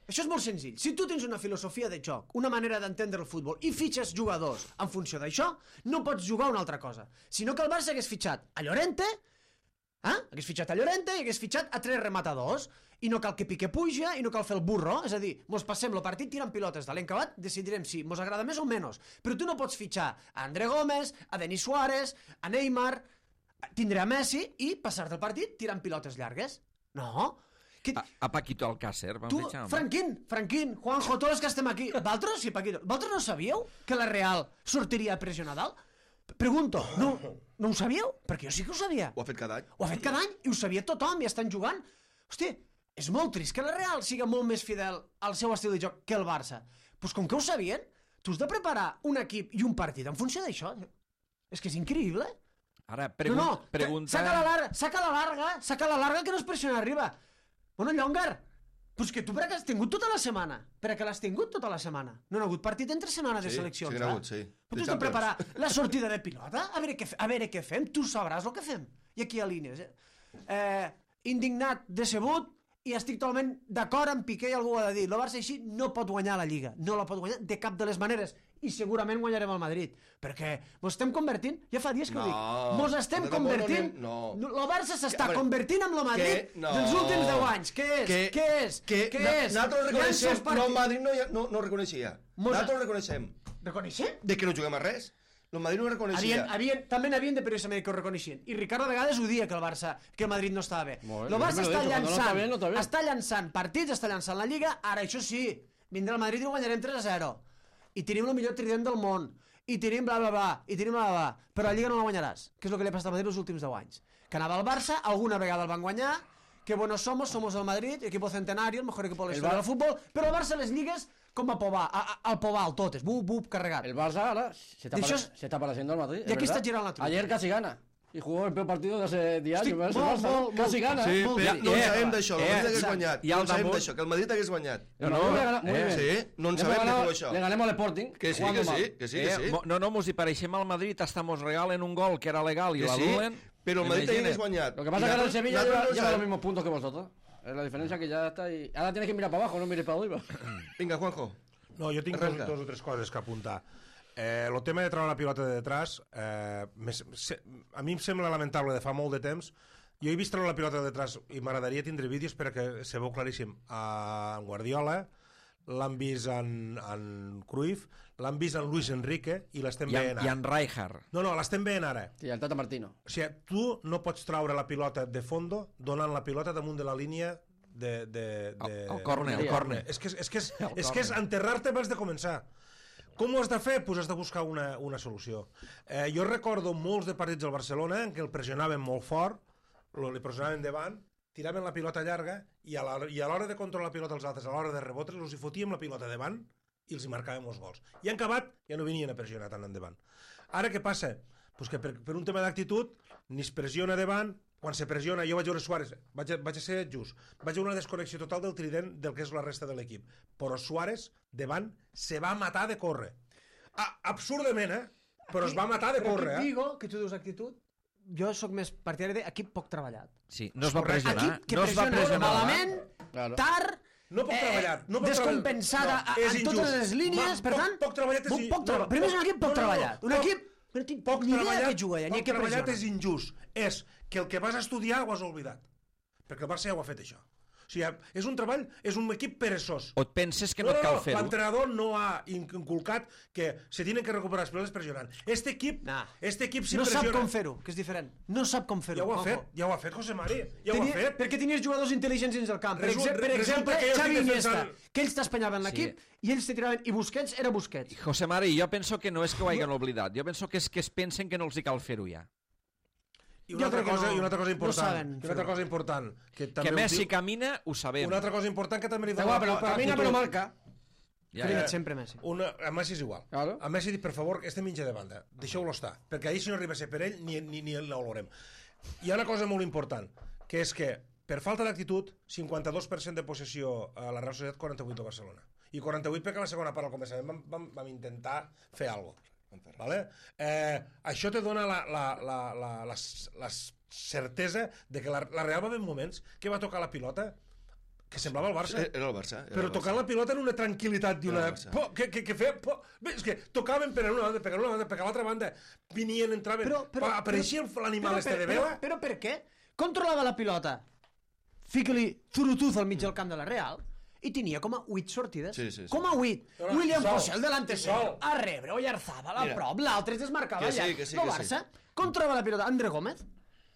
Això és molt senzill. Si tu tens una filosofia de joc, una manera d'entendre el futbol, i fitxes jugadors en funció d'això, no pots jugar una altra cosa. Sinó que el Barça hagués fitxat a Llorente, hagués fitxat a Llorente i hagués fitxat a 3 rematadors, i no cal que Piqué puja, i no cal fer el burro, és a dir, mos passem el partit tirant pilotes de l'encabat, decidirem si mos agrada més o menys, però tu no pots fitxar a André Gómez, a Denis Suárez, a Neymar, tindre a Messi i passar-te el partit tirant pilotes llargues. No. A Paquito Alcácer vam fitxar. Franquín, Juanjo, tots els que estem aquí, vosaltres, sí, Paquito, vosaltres no sabíeu que la Real sortiria a pressionar dalt? Pregunto, no ho sabíeu? Perquè jo sí que ho sabia. Ho ha fet cada any. Ho ha fet cada any i ho sabia tothom i estan jugant. Hòstia, és molt trist que la Real siga molt més fidel al seu estil de joc que el Barça. Doncs com que ho sabien, tu has de preparar un equip i un partit en funció d'això. És que és increïble. Ara, pregunta... Saca la larga que no es pressiona arriba. Bueno, Llongar, doncs que tu per què has tingut tota la setmana? Per què l'has tingut tota la setmana? No ha hagut partit entre setmanes de seleccions, sí, n'ha hagut, sí. Però tu has de preparar la sortida de pilota, a veure què fem, tu sabràs el que fem. I aquí a línies. Indignat, decebut, i estic totalment d'acord amb Piqué i algú ho ha de dir. El Barça així no pot guanyar la Lliga, no la pot guanyar de cap de les maneres, i segurament guanyarem el Madrid, perquè mos estem convertint, ja fa dies que ho dic, mos estem convertint, el Barça s'està convertint en el Madrid dels últims 10 anys. Què és? Nosaltres reconeixem, però el Madrid no ho reconeixia. Nosaltres ho reconeixem. Reconeixem? De que no juguem a res. El Madrid no ho reconeixia. També n'havien de periodistes que ho reconeixien. I Ricardo a vegades ho dia que el Madrid no estava bé. El Barça està llançant partits, està llançant la Lliga, ara això sí, vindrà el Madrid i guanyarem 3-0. I tenim el millor trident del món. I tenim bla bla bla. I tenim bla bla bla. Però la Lliga no la guanyaràs. Que és el que li ha passat al Madrid els últims 10 anys. Que anava al Barça, alguna vegada el van guanyar, que buenos somos el Madrid, equipo centenario, el mejor equipo de la historia del fútbol, però el Barça les lligues com a povar, al povar, totes, bup, carregat. El Barça ahora se está pareciendo al Madrid. Y aquí está girando la truca. Ayer casi gana. Y jugó el peor partido de hace 10 años. Casi gana. Sí, no en sabem d'això, que el Madrid hagués guanyat. No en sabem d'això, que el Madrid hagués guanyat. Sí, no en sabem de tot això. Le ganemos al Sporting. Que sí. No, mos hi pareixem al Madrid, hasta mos regalen un gol que era legal i l'anulen. Pero el Madrid hagués guanyat. Lo que pasa es que ahora el Sevilla lleva los mismos puntos que vosotros. Es la diferencia que ya está ahí. Ahora tienes que mirar para abajo, no mires para arriba. Vinga, Juanjo. No, jo tinc dos o tres coses que apuntar. El tema de treure la pilota de detrás, a mi em sembla lamentable de fa molt de temps. Jo he vist treure la pilota de detrás i m'agradaria tindre vídeos perquè se veu claríssim en Guardiola, l'han vist en Cruyff, l'han vist en Luis Enrique i l'estem veient ara. I en Rijkaard. No, l'estem veient ara. Sí, el Tata Martino. O sigui, tu no pots treure la pilota de fondo donant la pilota damunt de la línia el córner. És que és enterrar-te abans de començar. Com ho has de fer? Doncs has de buscar una solució. Jo recordo molts de partits del Barcelona en què el pressionaven molt fort, li pressionaven davant, tiraven la pilota llarga i a l'hora de controlar la pilota als altres, a l'hora de rebotres, els hi fotíem la pilota davant i els hi marcàvem els gols. I en acabat ja no venien a pressionar tant endavant. Ara què passa? Pues que per un tema d'actitud ni es pressiona davant. Quan se pressiona, jo vaig veure Suárez, vaig a ser just, vaig veure una desconnexió total del trident del que és la resta de l'equip, però Suárez davant se va matar de córrer, absurdament, però es va matar de córrer. Però digo que tu dius actitud, jo sóc més partidari d'equip poc treballat. Sí, no es va pressionar. Equip que pressiona malament, tard, no poc treballat, descompensada en totes les línies, per tant, poc treballat. Primer és un equip poc treballat, un equip poc treballat és injust, és que el que vas estudiar ho has oblidat, perquè el Barça ja ho ha fet això. O sigui, és un treball, és un equip perezós. O et penses que no et cal fer-ho? L'entrenador no ha inculcat que se tienen que recuperar les pilotes pressionant. Este equip si no sap com fer-ho, que és diferent. No sap com fer-ho. Ja ho ha fet, José Mari. Ja ho ha fet. Perquè tenies jugadors intel·ligents dins del camp. Per exemple, Xavi Iniesta, que ells t'espanyaven l'equip i ells te tiraven, i Busquets era Busquets. José Mari, jo penso que no és que ho hagin oblidat. Jo penso que és que es pensen que no els hi cal fer-ho ja. I una altra cosa important, que també Messi camina, ho sabem. Una altra cosa important que també li Però camina però marca. Primer sempre Messi. A Messi és igual. Claro. A Messi dic, per favor, este mitja de banda, deixeu-lo estar, perquè ahir si no arriba a ser per ell, ni l'olorem. Hi ha una cosa molt important, que és que, per falta d'actitud, 52% de possessió a la Real Societat, 48 a Barcelona. I 48 perquè a la segona part, al començament, vam intentar fer alguna cosa. Vale? Això te dona la certesa de que la Real va haver moments que va tocar la pilota que semblava el Barça. Era el Barça. Però tocant la pilota en una tranquil·litat i una... que feia... Bé, és que tocaven per una banda, per l'altra banda, venien, entraven... Apareixia l'animal este de vela... Però per què? Controlava la pilota. Fica-li zurutuz al mig del camp de la Real i tenia com a 8 sortides. Sí. Com a 8. William José, el delante sol, a rebre, Oyarzabal, a prop, l'altre es desmarcava allà. El Barça controlava la pilota, André Gómez,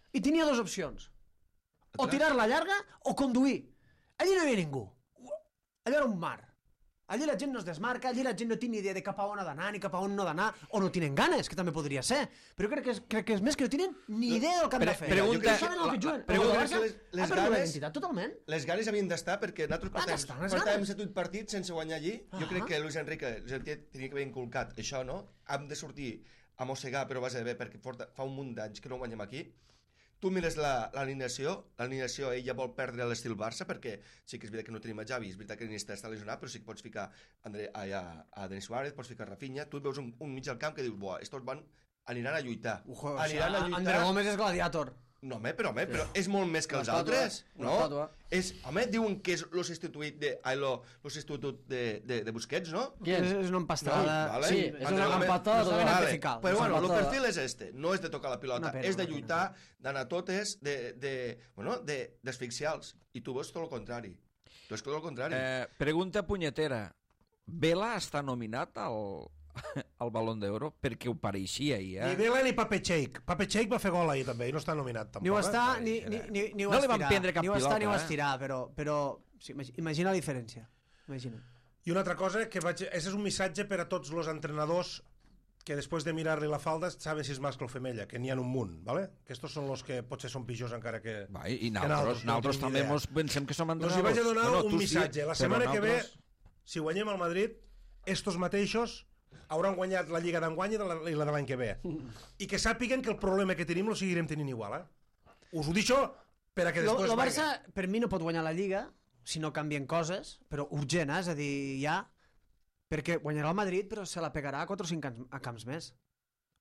i tenia dues opcions. O tirar-la llarga o conduir. Allí no hi havia ningú. Allò era un mar. Allí la gent no es desmarca, allí la gent no té ni idea de cap a on ha d'anar ni cap a on no ha d'anar, o no tenen ganes, que també podria ser. Però crec que és més que no tenen ni idea del que han de fer. Pregunta... Les ganes... Totalment. Les ganes havien d'estar perquè nosaltres portàvem 7-8 partits sense guanyar allí. Jo crec que Luis Enrique tenia que haver inculcat això, no? Hem de sortir a mossegar, però va ser bé, perquè fa un munt d'anys que no guanyem aquí. Tu mires l'alineació, ella vol perdre l'estil Barça, perquè sí que és veritat que no tenim a Xavi, és veritat que Iniesta està lesionat, però sí que pots ficar a Denis Suárez, pots ficar Rafinha, tu et veus un mig del camp que dius, buah, estos aniran a lluitar. André Gómez és gladiator. No, però és molt més que els altres, no? Home, diuen que és lo substitut de Busquets, no? És una empastada. Sí, és una empastada. Però bueno, el perfil és este, no és de tocar la pilota, és de lluitar, d'anar totes, d'asfixiar-los. I tu veus tot el contrari. Pregunta punyetera. Vela està nominat al Balón d'Oro perquè ho pareixia ahir, Ni Vela ni Pape Cheik. Pape Cheik va fer gol ahir també i no està nominat tampoc. Ni ho està, ni ho no li van prendre cap pilota. Ni ho estirar, però imagina la diferència. Imagina. I una altra cosa, aquest és un missatge per a tots els entrenadors que després de mirar-li la falda saben si és mascle o femella, que n'hi ha un munt, ¿vale? Que estos són els que potser són pitjors encara que... I nosaltres també pensem que som entrenadors. Els hi vaig a donar un missatge. La setmana que ve, si guanyem al Madrid, estos mateixos hauran guanyat la Lliga d'enguany i la de l'any que ve. I que sàpiguen que el problema que tenim lo seguirem tenint igual, Us ho deixo per a que després... El Barça, per mi, no pot guanyar la Lliga si no canvien coses, però urgent, és a dir, ja... Perquè guanyarà el Madrid, però se la pegarà a 4 o 5 camps més.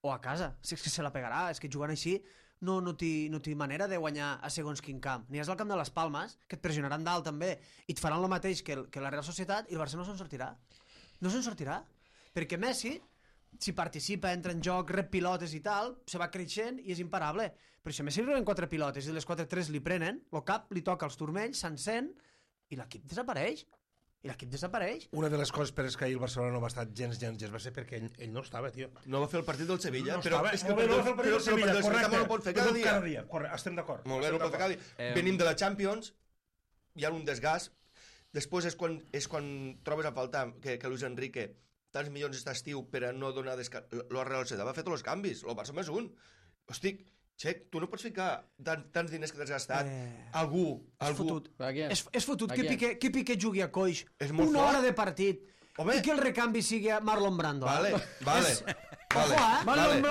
O a casa. Si és que se la pegarà, és que jugant així no té manera de guanyar a segons quin camp. Ni és al camp de les Palmes, que et pressionaran dalt també, i et faran el mateix que la Real Societat, i el Barça no se'n sortirà. No se'n sortirà. Perquè Messi, si participa, entra en joc, rep pilotes i tal, se va creixent i és imparable. Però si a Messi li reben 4 pilotes i les 4-3 li prenen, el cap li toca als turmells, s'encén i l'equip desapareix. Una de les coses per què ahir el Barcelona no va estar gens va ser perquè ell no estava, tio. No va fer el partit del Sevilla, però és que no va fer el partit del Sevilla, correcte. No ho pot fer cada dia. Estem d'acord. Molt bé, no ho pot fer cada dia. Venim de la Champions, hi ha un desgast. Després és quan trobes a faltar que Luis Enrique tants milions aquest estiu per a no donar descans. La Real Societat va fer tots els canvis, el Barça més un. Hosti, Xec, tu no pots ficar tants diners que t'has gastat. Algú. És fotut que Piqué jugui a coix una hora de partit i que el recanvi sigui Marlon Brando. Vale. Marlon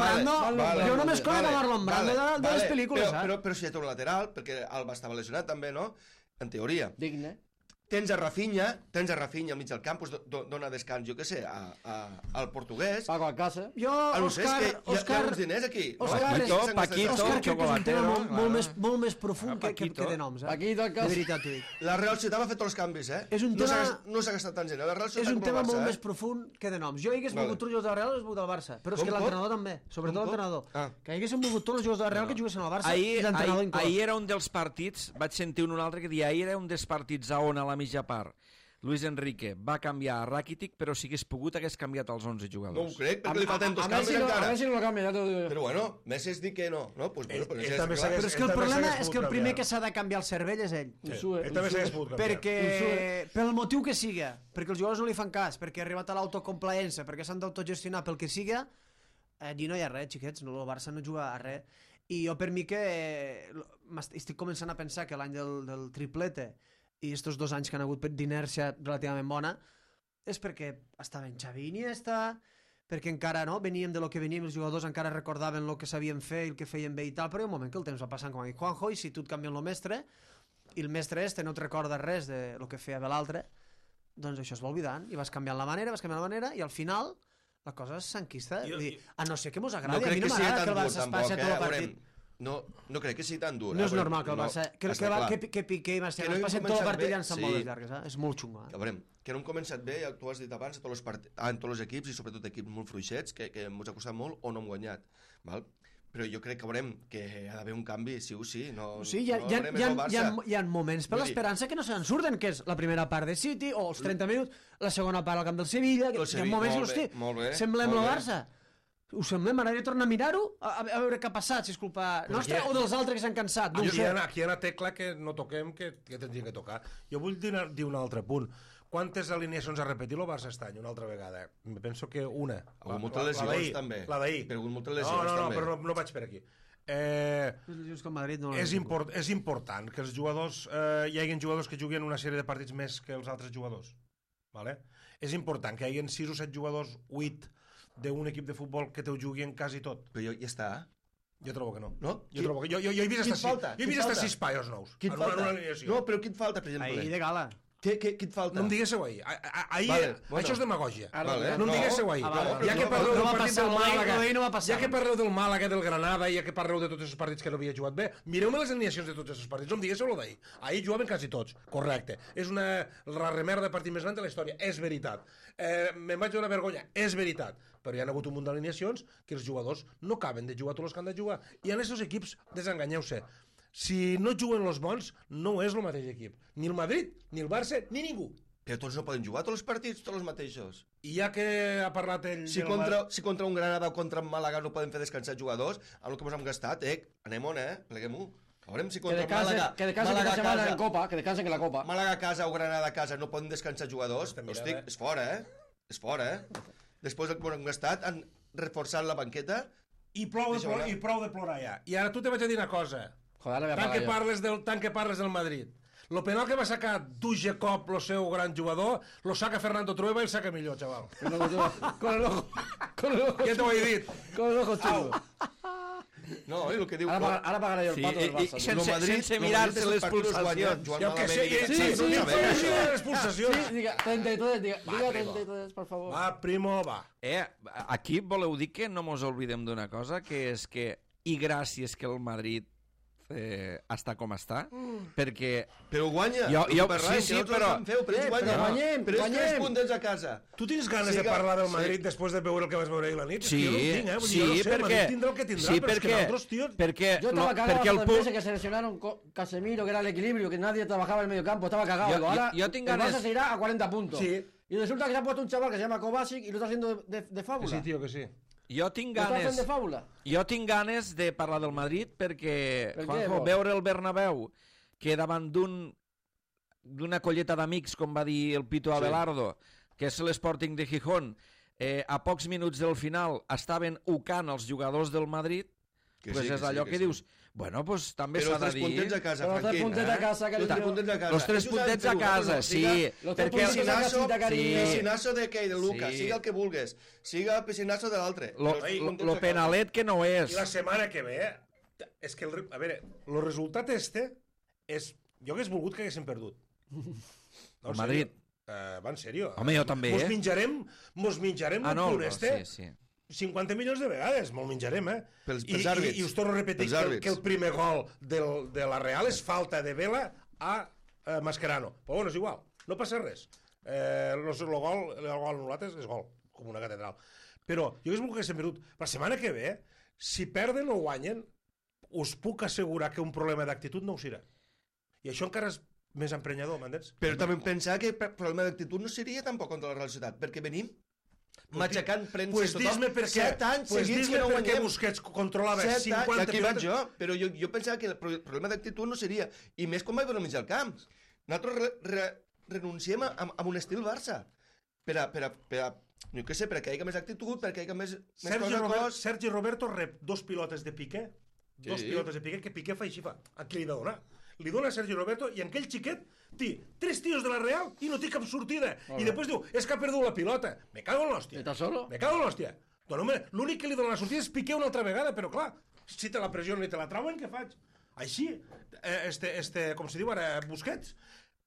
Brando. Jo només conec a Marlon Brando de les pel·lícules. Però si ja té un lateral, perquè Alba estava lesionat també, no? En teoria. Digne. Tens a Rafinha al mig del camp, dona descans, jo què sé, al portuguès. Pago a casa. Jo, Òscar... Hi ha uns diners aquí. Paquito, crec que és un tema molt més profund que de noms. Paquito, de veritat, t'ho dic. La Real Societat va fer tots els canvis, No s'ha gastat tant gent. És un tema molt més profund que de noms. Jo hagués volgut tots els jugadors de la Real, hagués volgut el Barça. Però és que l'entrenador també, sobretot l'entrenador. Que haguéssim volgut tots els jugadors de la Real que juguessin al Barça i l'entrenador inclòs. Ahir era un dels partits, vaig sentir un altre que deia, ahir era un dels partits on a la mitja part Luis Enrique va canviar a Rakitic, però si hagués pogut hagués canviat els 11 jugadors. No ho crec, perquè li falten 2 canvis encara. A Messi no lo canvia, ja t'ho dic. Però bueno, Messi es diu que no. Però és que el problema és que el primer que s'ha de canviar el cervell és ell. Ell també s'hagués pogut canviar. Perquè, pel motiu que siga, perquè els jugadors no li fan cas, perquè ha arribat a l'autocomplaença, perquè s'han d'autogestionar pel que siga, allí no hi ha res, xiquets, el Barça no juga a res. I jo per mi que estic començant a pensar que l'any del triplete i estos 2 anys que han hagut d'inèrcia relativament bona és perquè estaven Xavi i Iniesta, perquè encara no veníem de lo que veníem, els jugadors encara recordaven el que sabien fer i el que feien bé i tal, però hi ha un moment que el temps va passant, com ha dit Juanjo, i si tu et canvien el mestre i el mestre no et recorda res de lo que feia bé l'altre, doncs això es va oblidant i vas canviant la manera i al final la cosa s'enquista. A no ser que mos agradi, a mi no m'agrada que el Barça es passi tot el partit. No crec que sigui tan dur. No és normal que el Barça... Que Piqué i Marcelo es passin tot el partit llançant boles llargues. És molt xungo. A veure, que no hem començat bé, ja tu has dit abans, en tots els equips, i sobretot equips molt fluixets, que ens ha costat molt o no hem guanyat. Val? Però jo crec que veurem que ha d'haver un canvi, sí o sí. Hi ha moments per l'esperança que no se'n surten, que és la primera part de City, o els 30 minuts, la segona part al camp del Sevilla, hi ha moments que, hosti, semblem el Barça. Ho semblem, ara he de tornar a mirar-ho, a veure què ha passat, si és culpa nostra o dels altres que s'han cansat. Aquí hi ha una tecla que no toquem, que tindríem que tocar. Jo vull dir un altre punt. Quantes alineacions ha repetit el Barça aquest any, una altra vegada? Penso que una. Ha hagut moltes lesions, també. La d'ahir. Ha hagut moltes lesions, també. No, però no vaig per aquí. És important que els jugadors hi hagi jugadors que juguen una sèrie de partits més que els altres jugadors. Vale? És important que hi hagi 6 o 7 jugadors, 8 d'un equip de futbol que te ho juguin quasi tot. Però ja està. Jo trobo que no. No? Jo he vist hasta 6 paios nous. Qui et falta? No, però qui et falta, per exemple? Ahir de gala. Què et falta? No em diguéssiu ahir. Això és demagògia. No em diguéssiu ahir. Ja que parleu del partit del Màlaga, ja que parleu del Màlaga, del Granada, ja que parleu de tots els partits que no havia jugat bé, mireu-me les alineacions de tots els partits. No em diguéssiu el d'ahir. Ahir jugaven quasi tots. Correcte. És la remerda de partit més gran de la història. És veritat. Me'n vaig donar vergonya. És veritat. Però hi ha hagut un munt d'alineacions que els jugadors no caben de jugar tots els que han de jugar. I en aquests equips desenganyeu-se. Si no juguen els bons, no és el mateix equip. Ni el Madrid, ni el Barça, ni ningú. Però tots no poden jugar tots els partits, tots els mateixos. I ja que ha parlat ell... Si contra un Granada o contra un Màlaga no poden fer descansar jugadors, amb el que ens hem gastat, anem-on, pleguem-ho. Veurem si contra Màlaga... Que descansen aquesta setmana en Copa, que descansen en la Copa. Màlaga a casa o Granada a casa no poden descansar jugadors, hosti, és fora, És fora, Després del que ens hem gastat, han reforçat la banqueta... I prou de plorar ja. I ara tu te vaig a dir una cosa... Joder, tant que parles del Madrid. Lo penal que va sacar Duje Cop, el seu gran jugador, lo saca Fernando Trueba i el saca millor, xaval. Con el ojo. Ja t'ho he dit. Con el ojo chulo. No, el que diu... Ara pagaré el pato del Barça. Sense mirar-se les pulsacions. Jo que sé, les pulsacions. Sí, diga 33, por favor. Va, primo, va. Aquí voleu dir que no mos oblidem d'una cosa, que és que, i gràcies que el Madrid està com està, perquè... Però guanya, però guanyem. Però és 3 puntets a casa. Tu tens ganes de parlar del Madrid després de veure el que vas veure ahir la nit? Sí, perquè yo estaba cagado los meses que seleccionaron Casemiro, que era el equilibrio, que nadie trabajaba en el medio campo, estaba cagado. Ahora el Barça se irá a 40 puntos. Y resulta que se ha puesto un chaval que se llama Kovacic y lo está haciendo de fábula. Sí, tío, que sí. Jo tinc ganes de parlar del Madrid perquè, Juanjo, veure el Bernabéu que davant d'una colleta d'amics, com va dir el Pito Abelardo, que és l'Sporting de Gijón, a pocs minuts del final estaven ucant els jugadors del Madrid, pues és allò que dius, bueno, pues també s'ha de dir... Però 3 puntets a casa, Franquín. Però 3 puntets a casa, que Els 3 puntets a casa, sí. Piscinazo de què? De Lucas, siga el que vulgues. Siga el piscinazo de l'altre. Lo penalet que no és. I la setmana que ve, és que, a veure, el resultat és... Jo hagués volgut que haguéssim perdut. El Madrid. Va, en sèrio. Home, jo també, Mos menjarem el punt sí. 50 milions de vegades, me'l menjarem, Pels àrbits. I us torno a repetir que el primer gol de la Real és falta de Vela a Mascherano. Però bueno, és igual, no passa res. El gol anul·lat és gol, com una catedral. Però jo hagués volgut que s'hem perdut. La setmana que ve, si perden o guanyen, us puc assegurar que un problema d'actitud no ho serà. I això encara és més emprenyador, m'entens? Però també pensar que el problema d'actitud no seria tampoc contra la Real Societat, perquè venim matxacant premsa tothom. 7 anys seguits que no guanyem. Perquè Busquets controlava 50... Aquí vaig jo, però jo pensava que el problema d'actitud no seria, i més quan vaig veure mig al camp. Nosaltres renunciem a un estil Barça, per a no sé, per a que hi hagi més actitud, per a que hi hagi més Sergi Roberto rep 2 pilotes de Piqué dos pilotes de Piqué, que Piqué fa així, fa. A qui li ha de donar? Li dona a Sergio Roberto i aquell xiquet té 3 tios de la Real i no té cap sortida. I després diu, és que ha perdut la pilota. Me cago en l'hòstia. ¿Estás solo? Me cago en l'hòstia. L'únic que li dona la sortida és Piqué una altra vegada, però clar, si te la pressionen i te la trauen, què faig? Així, com se diu ara, Busquets,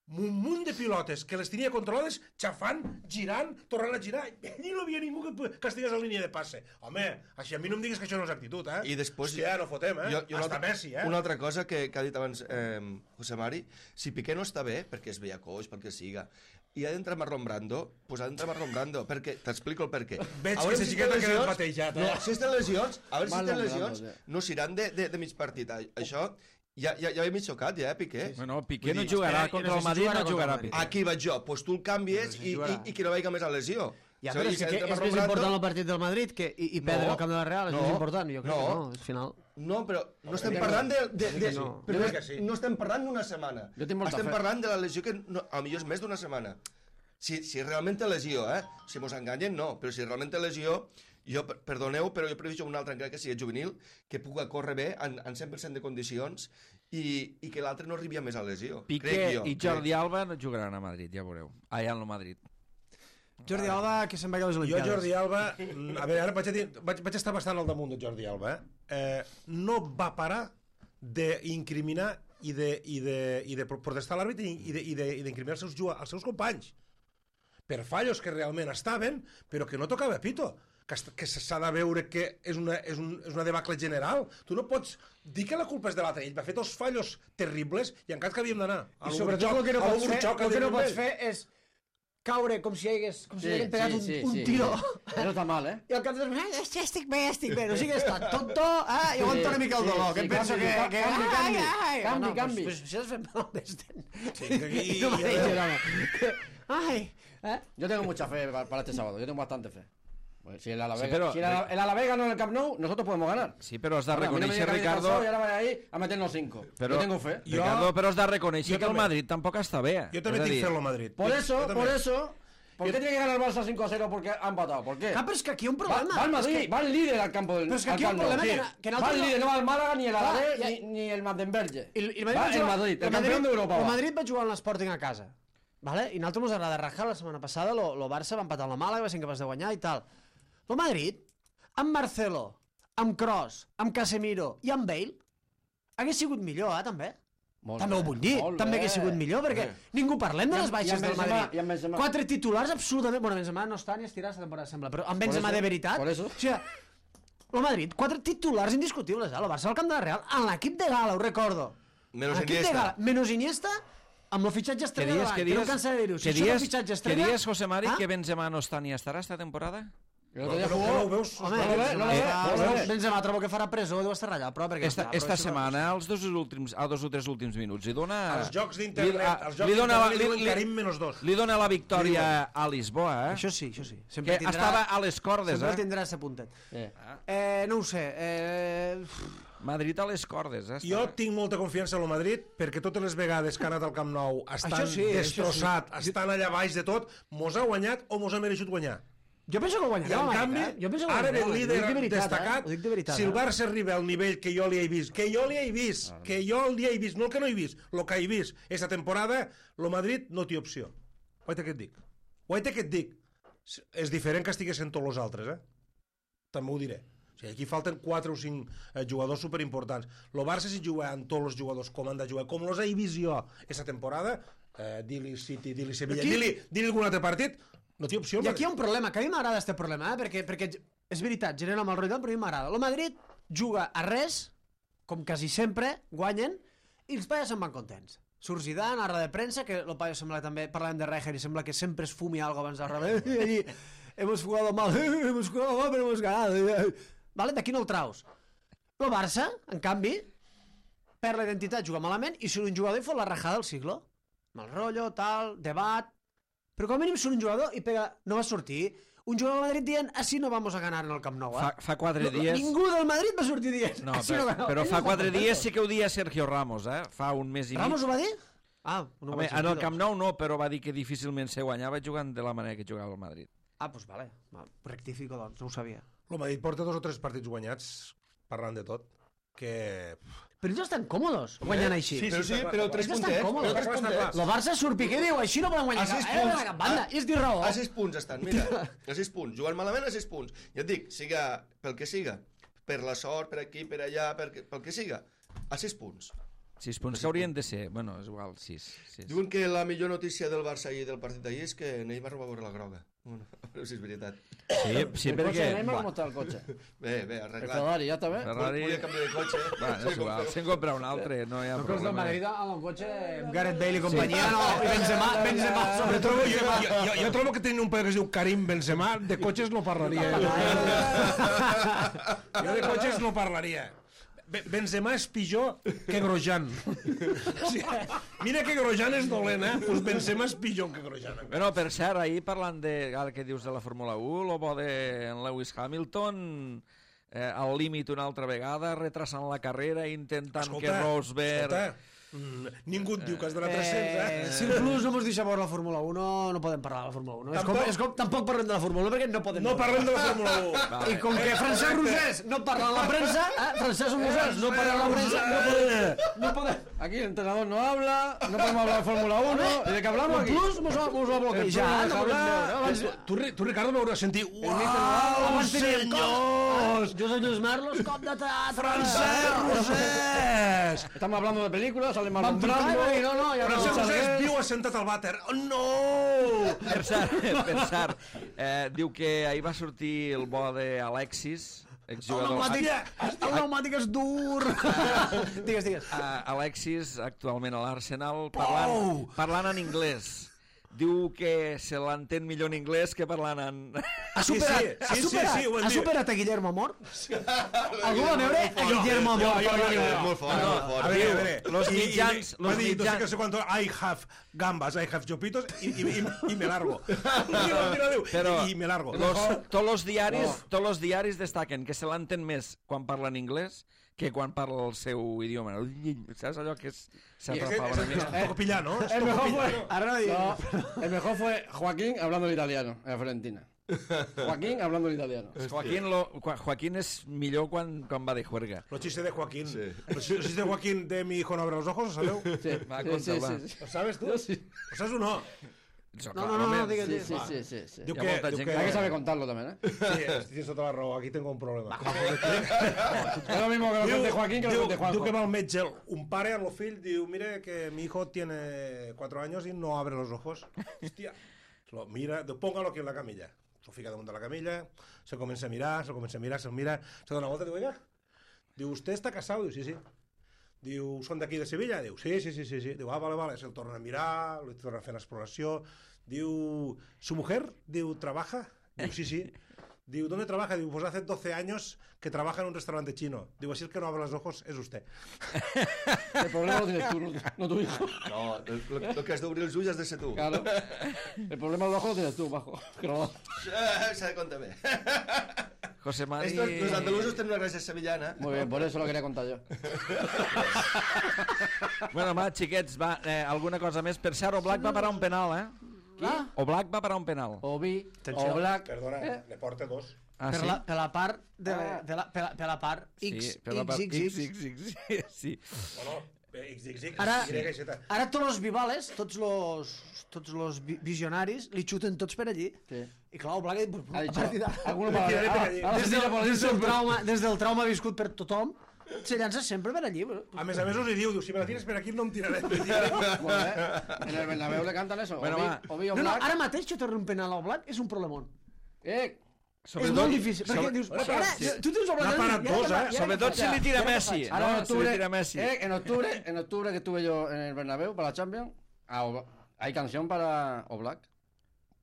un munt de pilotes que les tenia controlades, xafant, girant, tornant a girar, i no havia ningú que castigués la línia de passe. Home, així a mi no em diguis que això no és actitud, eh? I després... Hòstia, no fotem, Hasta Messi, Una altra cosa que ha dit abans José Mari, si Piqué no està bé, perquè es veia coix, perquè siga, i ha d'entrar Marlon Brando, doncs ha d'entrar Marlon Brando, perquè t'explico el perquè. Veig que la xiqueta queda batejat, No, si estan lesions, a veure si tenen lesions, no seran de mig partit. Això... Ja m'he mig xocat, Piqué. Bueno, Piqué no jugarà contra el Madrid, no jugarà Piqué. Aquí vaig jo, doncs tu el canvies i que no vagi més a lesió. Ja, però és que és més important el partit del Madrid que i perdre el camp de la Real, és més important, jo crec que no, al final. No, però no estem parlant no estem parlant d'una setmana. Estem parlant de la lesió que potser és més d'una setmana. Si realment té lesió, si mos enganyen, no, però si realment té lesió, jo, perdoneu, però jo previso un altre encara que sigui juvenil, que pugui córrer bé en 100% de condicions i que l'altre no arribi a més a lesió. Piqué i Jordi Alba no jugaran a Madrid, ja veureu. Allà en el Madrid. Jordi Alba, que se'n va a les Olimpiades. Jo, Jordi Alba, a veure, ara vaig estar bastant al damunt de Jordi Alba, no va parar d'incriminar i de protestar a l'àrbitre i d'incriminar els seus companys per fallos que realment estaven, però que no tocava pito. Que s'ha de veure que és una debacle general. Tu no pots dir que la culpa és de l'altre. Ell va fer 2 fallos terribles i encara que havíem d'anar. I sobretot el que no pots fer és caure com si hagués pegat un tiro. Això està mal, I al cap de estic bé. No sigues tan tonto, i aguanta una mica el dolor, que em penso que... Canvi. Pues si has fet mal d'estent. I no m'ha dit nada. Yo tengo mucha fe para este sábado, yo tengo bastante fe. Si el Alavés ganó en el Camp Nou, nosotros podemos ganar. Sí, però has de reconèixer, Ricardo... Y ahora va ahí a meternos 5. Yo tengo fe. Ricardo, però has de reconèixer que el Madrid tampoc està bé. Jo també tinc fe en el Madrid. Por eso, ¿por qué tiene que ganar el Barça 5-0 porque ha empatado? ¿Por qué? Pero es que aquí hay un problema. Va al Madrid, va el líder al campo del... Pero es que aquí hay un problema que va el líder, no va el Málaga, ni el Alavés, ni el Mandenberge. Va el Madrid, el campeón d'Europa. El Madrid va jugar en l'Sporting a casa. Vale? I a nosaltres ens agrada rajar. La setmana passada el Barça va empatar amb la Màlaga, va ser incapaç de guanyar i tal. El Madrid, amb Marcelo, amb Kroos, amb Casemiro i amb Bale, hagués sigut millor, també. També ho vull dir, també hagués sigut millor, perquè ningú parlem de les baixes del Madrid. 4 titulars absolutament... Bueno, Benzema no està ni estirat la temporada, sembla, però amb Benzema de veritat... O sigui, el Madrid, 4 titulars indiscutibles, el Barça al camp de la Real, en l'equip de gala, ho recordo. Menos Iniesta, amb el fitxatge estrella davant, que no cansa de dir-ho. Si això és el fitxatge estrella... Que dies, José Mari, que Benzema no està ni estarà esta temporada? Benzema trobo que farà presó, deu estar allà, però... Esta setmana, als 2 o 3 últims minuts, li dona... Els jocs d'internet, li dona la victòria a Lisboa, Això sí. Que estava a les cordes, Sempre tindrà ese puntet. No ho sé, Madrid a les cordes, Jo tinc molta confiança en el Madrid perquè totes les vegades que ha anat al Camp Nou estan destrossat, estan allà baix de tot, mos ha guanyat o mos ha mereixut guanyar. Jo penso que guanyarà. I en canvi, ara ve el líder destacat. Si el Barça arriba al nivell que jo li he vist, no el que no he vist, el que he vist aquesta temporada, el Madrid no té opció. Guaita que et dic. És diferent que estiguessin tots els altres, També ho diré. O sigui, aquí falten 4 o 5 jugadors superimportants. El Barça, si juga amb tots els jugadors com han de jugar, com els he vist jo aquesta temporada, dir-li City, dir-li Sevilla, dir-li algun altre partit, no té opció. I aquí hi ha un problema, que a mi m'agrada aquest problema, perquè és veritat, genera mal rotllo, però a mi m'agrada. El Madrid juga a res, com quasi sempre, guanyen, i els paios se'n van contents. Surt Zidane, a la de premsa, que el paio sembla també, parlàvem de Rijkaard, i sembla que sempre es fumi algo abans de rebel, i allí, hemos jugado mal, pero hemos ganado. Vale? D'aquí no el traus. El Barça, en canvi, perd la identitat, juga malament, i surt un jugador i fot la rajada del siglo. Mal rotllo, tal, debat... Però com a mínim surt un jugador i pega... No va sortir un jugador del Madrid dient así no vamos a ganar en el Camp Nou. Fa 4 dies... Ningú del Madrid va sortir dient así no ganamos. Però fa 4 dies sí que ho dia Sergio Ramos, Fa un mes i mig. Ramos ho va dir? No en el Camp Nou no, però va dir que difícilment se guanyava jugant de la manera que jugava el Madrid. Doncs vale. Rectifico, doncs, no ho sabia. El Madrid porta 2 o 3 partits guanyats, parlant de tot. que... Però ells estan còmodes guanyant així. Però sí, però 3 És bastant puntets. còmode. Però 3 puntets. El Barça surt Piqué i diu, així no podem guanyar A 6 cap, punts. cap banda. I és dir raó. A 6 punts estan, mira. A 6 punts. Jugant malament a 6 punts. Ja et dic, siga pel que siga, per la sort, per aquí, per allà, pel que siga, a 6 punts. 6 punts que haurien de ser, bueno, és igual, 6. Diuen que la millor notícia del Barça ahir, del partit d'ahir, és que Neymar va veure la groga. Bueno, a veure si és veritat. Sí, El coche de perquè... Neymar, ¿cómo está el coche? Bé, El arreglat. Ferrari, ¿ya está bien? Ferrari... Volia canviar de cotxe. Va, és igual, se'n compra un altre, no hi ha Los del problema. Madrid amb un cotxe Gareth Bale i companyia, no, i Benzema, Jo trobo que tenen un paio que es diu Karim Benzema, de cotxes no parlaria. Jo de cotxes no parlaria. Benzema és pitjor que Grosjean. O sigui, mira que Grosjean és dolent, doncs Benzema és pitjor que Grosjean. Bueno, per cert, ahir parlant de, ara que dius de la Fórmula 1, el bo de Lewis Hamilton al límit una altra vegada, retrasant la carrera, intentant que Rosberg... Ningú et diu que has d'anar 300, Si el Plus no mos deixa veure la Fórmula 1, no podem parlar de la Fórmula 1. És com tampoc parlem de la Fórmula 1 perquè no podem. No parlem de la Fórmula 1. Vale. I com que Francesc Rosés no parla a la premsa, Francesc Rosés no parla a la premsa, no podem. Aquí el entrenador no habla, no podemos hablar de Fórmula 1, ¿y de qué hablamos aquí? El Plus mos ha bloquejat, no podem veure. Tu, Ricardo, m'hauràs sentit... Uau, senyors! Josep Lluís Merlos, cop de teatre. Francesc Rosés! Estamos hablando de películas, sale mal Vam trucar i va dir, no, ja no. Francesc Rosés viu assentat al vàter. Oh, no! Per cert, diu que ahir va sortir el bo d'Alexis, El exjugador... pneumàtic és dur. Digues. Alexis, actualment a l'Arsenal, parlant en anglès. Diu que se l'entén millor en anglès que parlant en... Ha superat a Guillermo Amor? Algú va veure a Guillermo Amor? Molt fort. A veure. Los mitjans... Va dir, no sé cuánto, I have gambas, I have chopitos y me largo. Però y me largo. tots els diaris destaquen que se l'entén més quan parla en anglès que quan parla el seu idioma. Saps allò que s'atrapava una mica? Un poco pillado, ¿no? El mejor fue Joaquín hablando el italiano en la Fiorentina. Joaquín hablando el italiano. Joaquín és millor quan va de juerga. Los chistes de Joaquín. Los chistes de Joaquín de mi hijo no abre los ojos, ¿sabeu? Sí, Va, sí, conta, sí, va. sí. ¿Lo sabes tú? Sí. ¿Lo sabes o no? No, digues. Sí. Diu Hi ha molta gent Hay que saber contarlo también, ¿eh? Sí, tienes toda la raó, aquí tengo un problema. Es lo mismo que lo cuente Joaquín que lo cuente Juanjo. Diu que va al metge, un pare a lo fill, diu, mire que mi hijo tiene 4 años y no abre los ojos. Hostia. Lo mira, póngalo aquí en la camilla. Lo fica damunt de la camilla, se comença a mirar, se mira, se dona una volta, diu, oiga, diu, ¿usted está casado? Diu, sí. Diu, ¿son de aquí de Sevilla? Diu, sí. Diu, vale. Se'l torna a mirar, li torna a fer l'exploració. Diu, ¿su mujer? Diu, ¿trabaja? Diu, sí. Diu, ¿dónde trabaja? Diu, pues hace 12 años que trabaja en un restaurante chino. Digo, así el que no abre los ojos es usted. El problema lo tienes tú, no tu hijo. No, el que has d'obrir els ulls has de ser tu. Claro. El problema del ojo lo tienes tú, bajo. Que no. S'ha de comptar bé. José Mari... Los andalusos tenen una gràcia sevillana. Muy bien, por eso lo quería contar yo. Bueno, va, xiquets, va, alguna cosa més. Per cert, Oblak va parar un penal, Qui? Oblak va parar un penal. Obi, Oblak... Perdona, ne porta 2. Ah, Per sí? la part per la part X, Sí, per la part X. sí. Bueno, XXX. Ara tots els vivales, tots los visionaris li xuten tots per allí. Sí. I clar, Oblak Ha dicho, a partir de... alguno para des del trauma viscut per tothom, se llança sempre per allí. A més us hi diu, si me la tires per aquí no em tiraré. En el Bernabéu le cantan eso. Bueno, va. Obi, No, Oblak. ara mateix xutar un penal a Oblak és un problemón. És Sobretot- molt difícil, perquè dius... Sobretot- Ara, tu tens Oblak... N'ha parat dos, Sobretot si li tira Messi. Ahora No, si li tira Messi. en octubre que estuve yo en el Bernabéu para la Champions, hay canción para Oblak.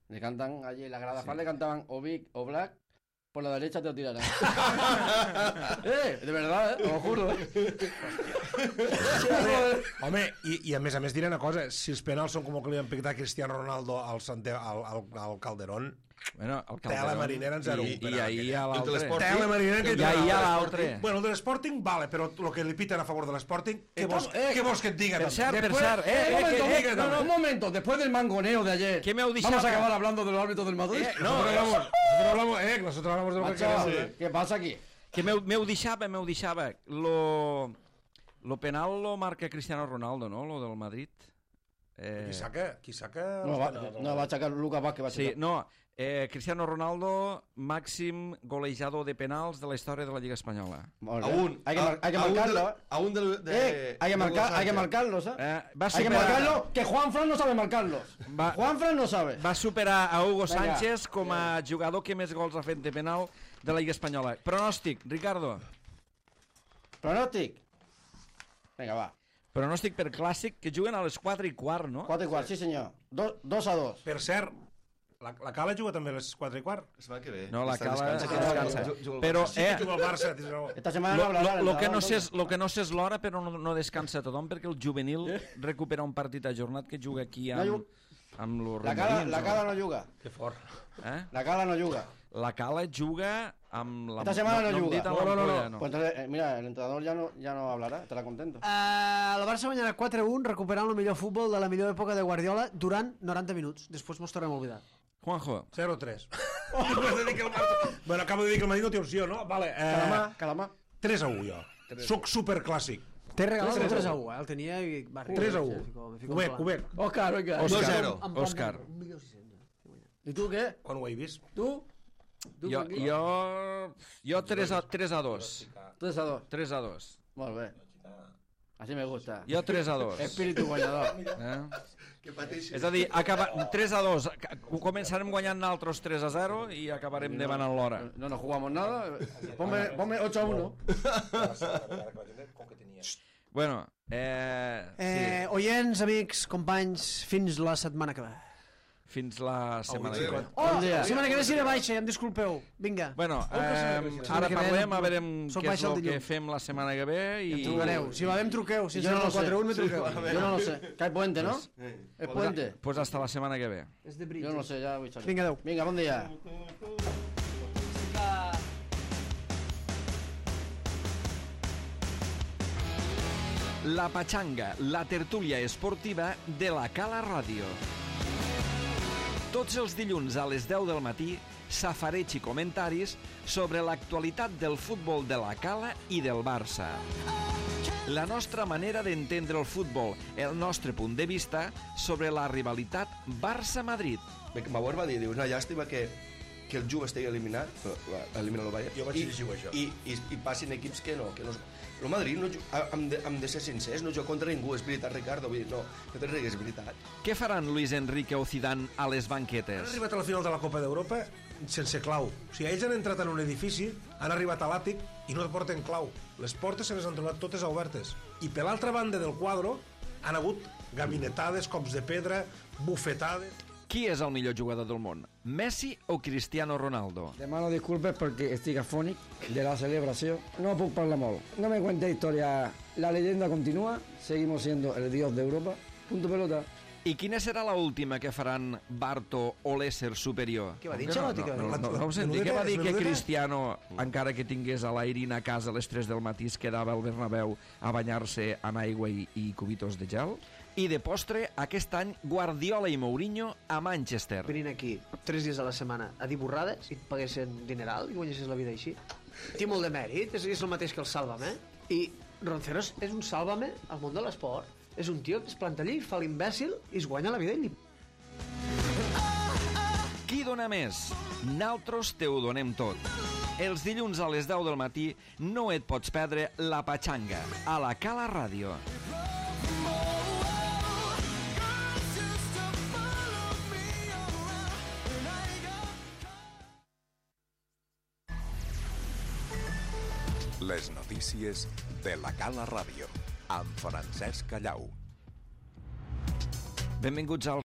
Le cantan allí en la grada le cantaban Oblak, por la derecha te lo tirarán. De verdad, te lo juro. Home, i a més diré una cosa, si els penals són com el que li van picar a Cristiano Ronaldo al Calderón, Bueno, el Tela Calderón. marinera en 0-1. I ahir hi ha El de l'altre. l'Sporting. Tela marinera que I ahir hi ha l'altre. Bueno, el de l'Sporting, vale, però el que li piten a favor de l'Sporting, què vols que et diga? Per cert, Un momento, después del mangoneo de ayer, ¿Qué me ha dicho? vamos a acabar hablando de los árbitros del Madrid. Nosotros hablamos de lo que Macho, queremos. ¿qué pasa aquí? Que m'ho deixava. Lo penal lo marca Cristiano Ronaldo, no? Lo del Madrid. Qui saca... No, va aixecar Lucas Vázquez, va aixecar. Sí, no, Cristiano Ronaldo, màxim golejador de penals de la història de la Lliga Espanyola. Hay que marcarlo. Hay que marcarlos, Hay que marcarlo, que Juanfran no sabe marcarlos. Juanfran no sabe. Va superar a Hugo Sánchez com a jugador que més gols ha fet de penal de la Lliga Espanyola. Pronòstic, Ricardo. Pronòstic. Vinga, va. Pronòstic per clàssic, que juguen a les 4:15, no? 4:15, sí senyor. 2-2. Per cert, la Cala juga també a les 4:15. La setmana que ve. No, la Cala descansa. Però, Sí que juga el Barça. Esta setmana no hablarà. lo que no sé és l'hora, però no descansa tothom, perquè el juvenil recupera un partit ajornat que juga aquí amb los remolins. La Cala no juga. Que fort. La Cala no juga. La Cala juga amb la... Esta semana no juga. No. Pues entonces, mira, el entrenador ya no hablará, estará contento. El Barça guanyarà 4-1, recuperant el millor futbol de la millor època de Guardiola durant 90 minuts. Després mos tornem a oblidar. Juanjo. 0-3. Bueno, acabo de dir que el Madrid no té opció, no? Vale. Calamar. 3-1, jo. Soc superclàssic. T'he regalat un 3-1, el tenia i... 3-1. Cubec. Òscar. 2-0. Òscar. I tu què? Quan ho he vist? Tu? Jo 3-2. 3-2. Molt bé. Así me gusta. Jo 3-2. Espíritu guanyador. Que pateixi. És a dir, 3-2. Començarem guanyant nosaltres 3-0 i acabarem davant a l'hora. No nos jugamos nada. Ponme 8-1. Bueno, sí. Oients, amics, companys, fins la setmana que ve. Fins la setmana que ve. La setmana que ve seré baixa, em disculpeu. Vinga. Bueno, ara parlem, a veure què és el que fem la setmana que ve. Em trucareu. Si va bé em truqueu. Si no, 4-1 me truqueu. Yo no lo sé. Que hay puente, ¿no? Es puente. Pues hasta la setmana que ve. Yo no lo sé, ya voy a salir. Vinga, adeu. Vinga, bon dia. La Pachanga, la tertúlia esportiva de la Cala Ràdio. Tots els dilluns a les 10 del matí, safareig i comentaris sobre l'actualitat del futbol de la Cala i del Barça. La nostra manera d'entendre el futbol, el nostre punt de vista sobre la rivalitat Barça-Madrid. Bauer va dir, una llàstima que el Juve estigui eliminat, elimina el Bayern, jo vaig llegir això. I passin equips que no. El Madrid, hem de ser sincers, no juga contra ningú, és veritat, Ricardo, vull dir, no te rigues, és veritat. Què faran Luis Enrique o Zidane a les Han banquetes? arribat a la final de la Copa d'Europa sense clau. O sigui, ells han entrat en un edifici, han arribat a l'àtic i no porten clau. Les portes se les han trobat totes obertes. I per l'altra banda del quadre han hagut gabinetades, cops de pedra, bufetades... Qui és el millor jugador del món? Messi o Cristiano Ronaldo? Demano disculpes perquè estic afònic de la celebració. No puc parlar molt. No me cuente historia. La leyenda continúa. Seguimos siendo el dios de Europa. Punto pelota. I quina serà la última que faran Barto o l'ésser superior? Què va dir, No ho senti. Què va dir que Cristiano, encara que tingués a l'Airin a casa a les 3 del matí, es quedava al Bernabéu a banyar-se en aigua i cubitos de gel? I de postre, aquest any, Guardiola i Mourinho a Manchester. Venint aquí 3 dies a la setmana a dir borrades i et paguessin dineral i guanyessis la vida així. Té molt de mèrit, és el mateix que el Sálvame. I Ronceros és un Sálvame al món de l'esport. És un tio que es planta allí, fa l'imbècil i es guanya la vida ell. Qui dona més? Naltros te ho donem tot. Els dilluns a les 10 del matí no et pots perdre La Pachanga a la Cala Ràdio. Les notícies de la Cala Ràdio, amb Francesc Callau. Benvinguts al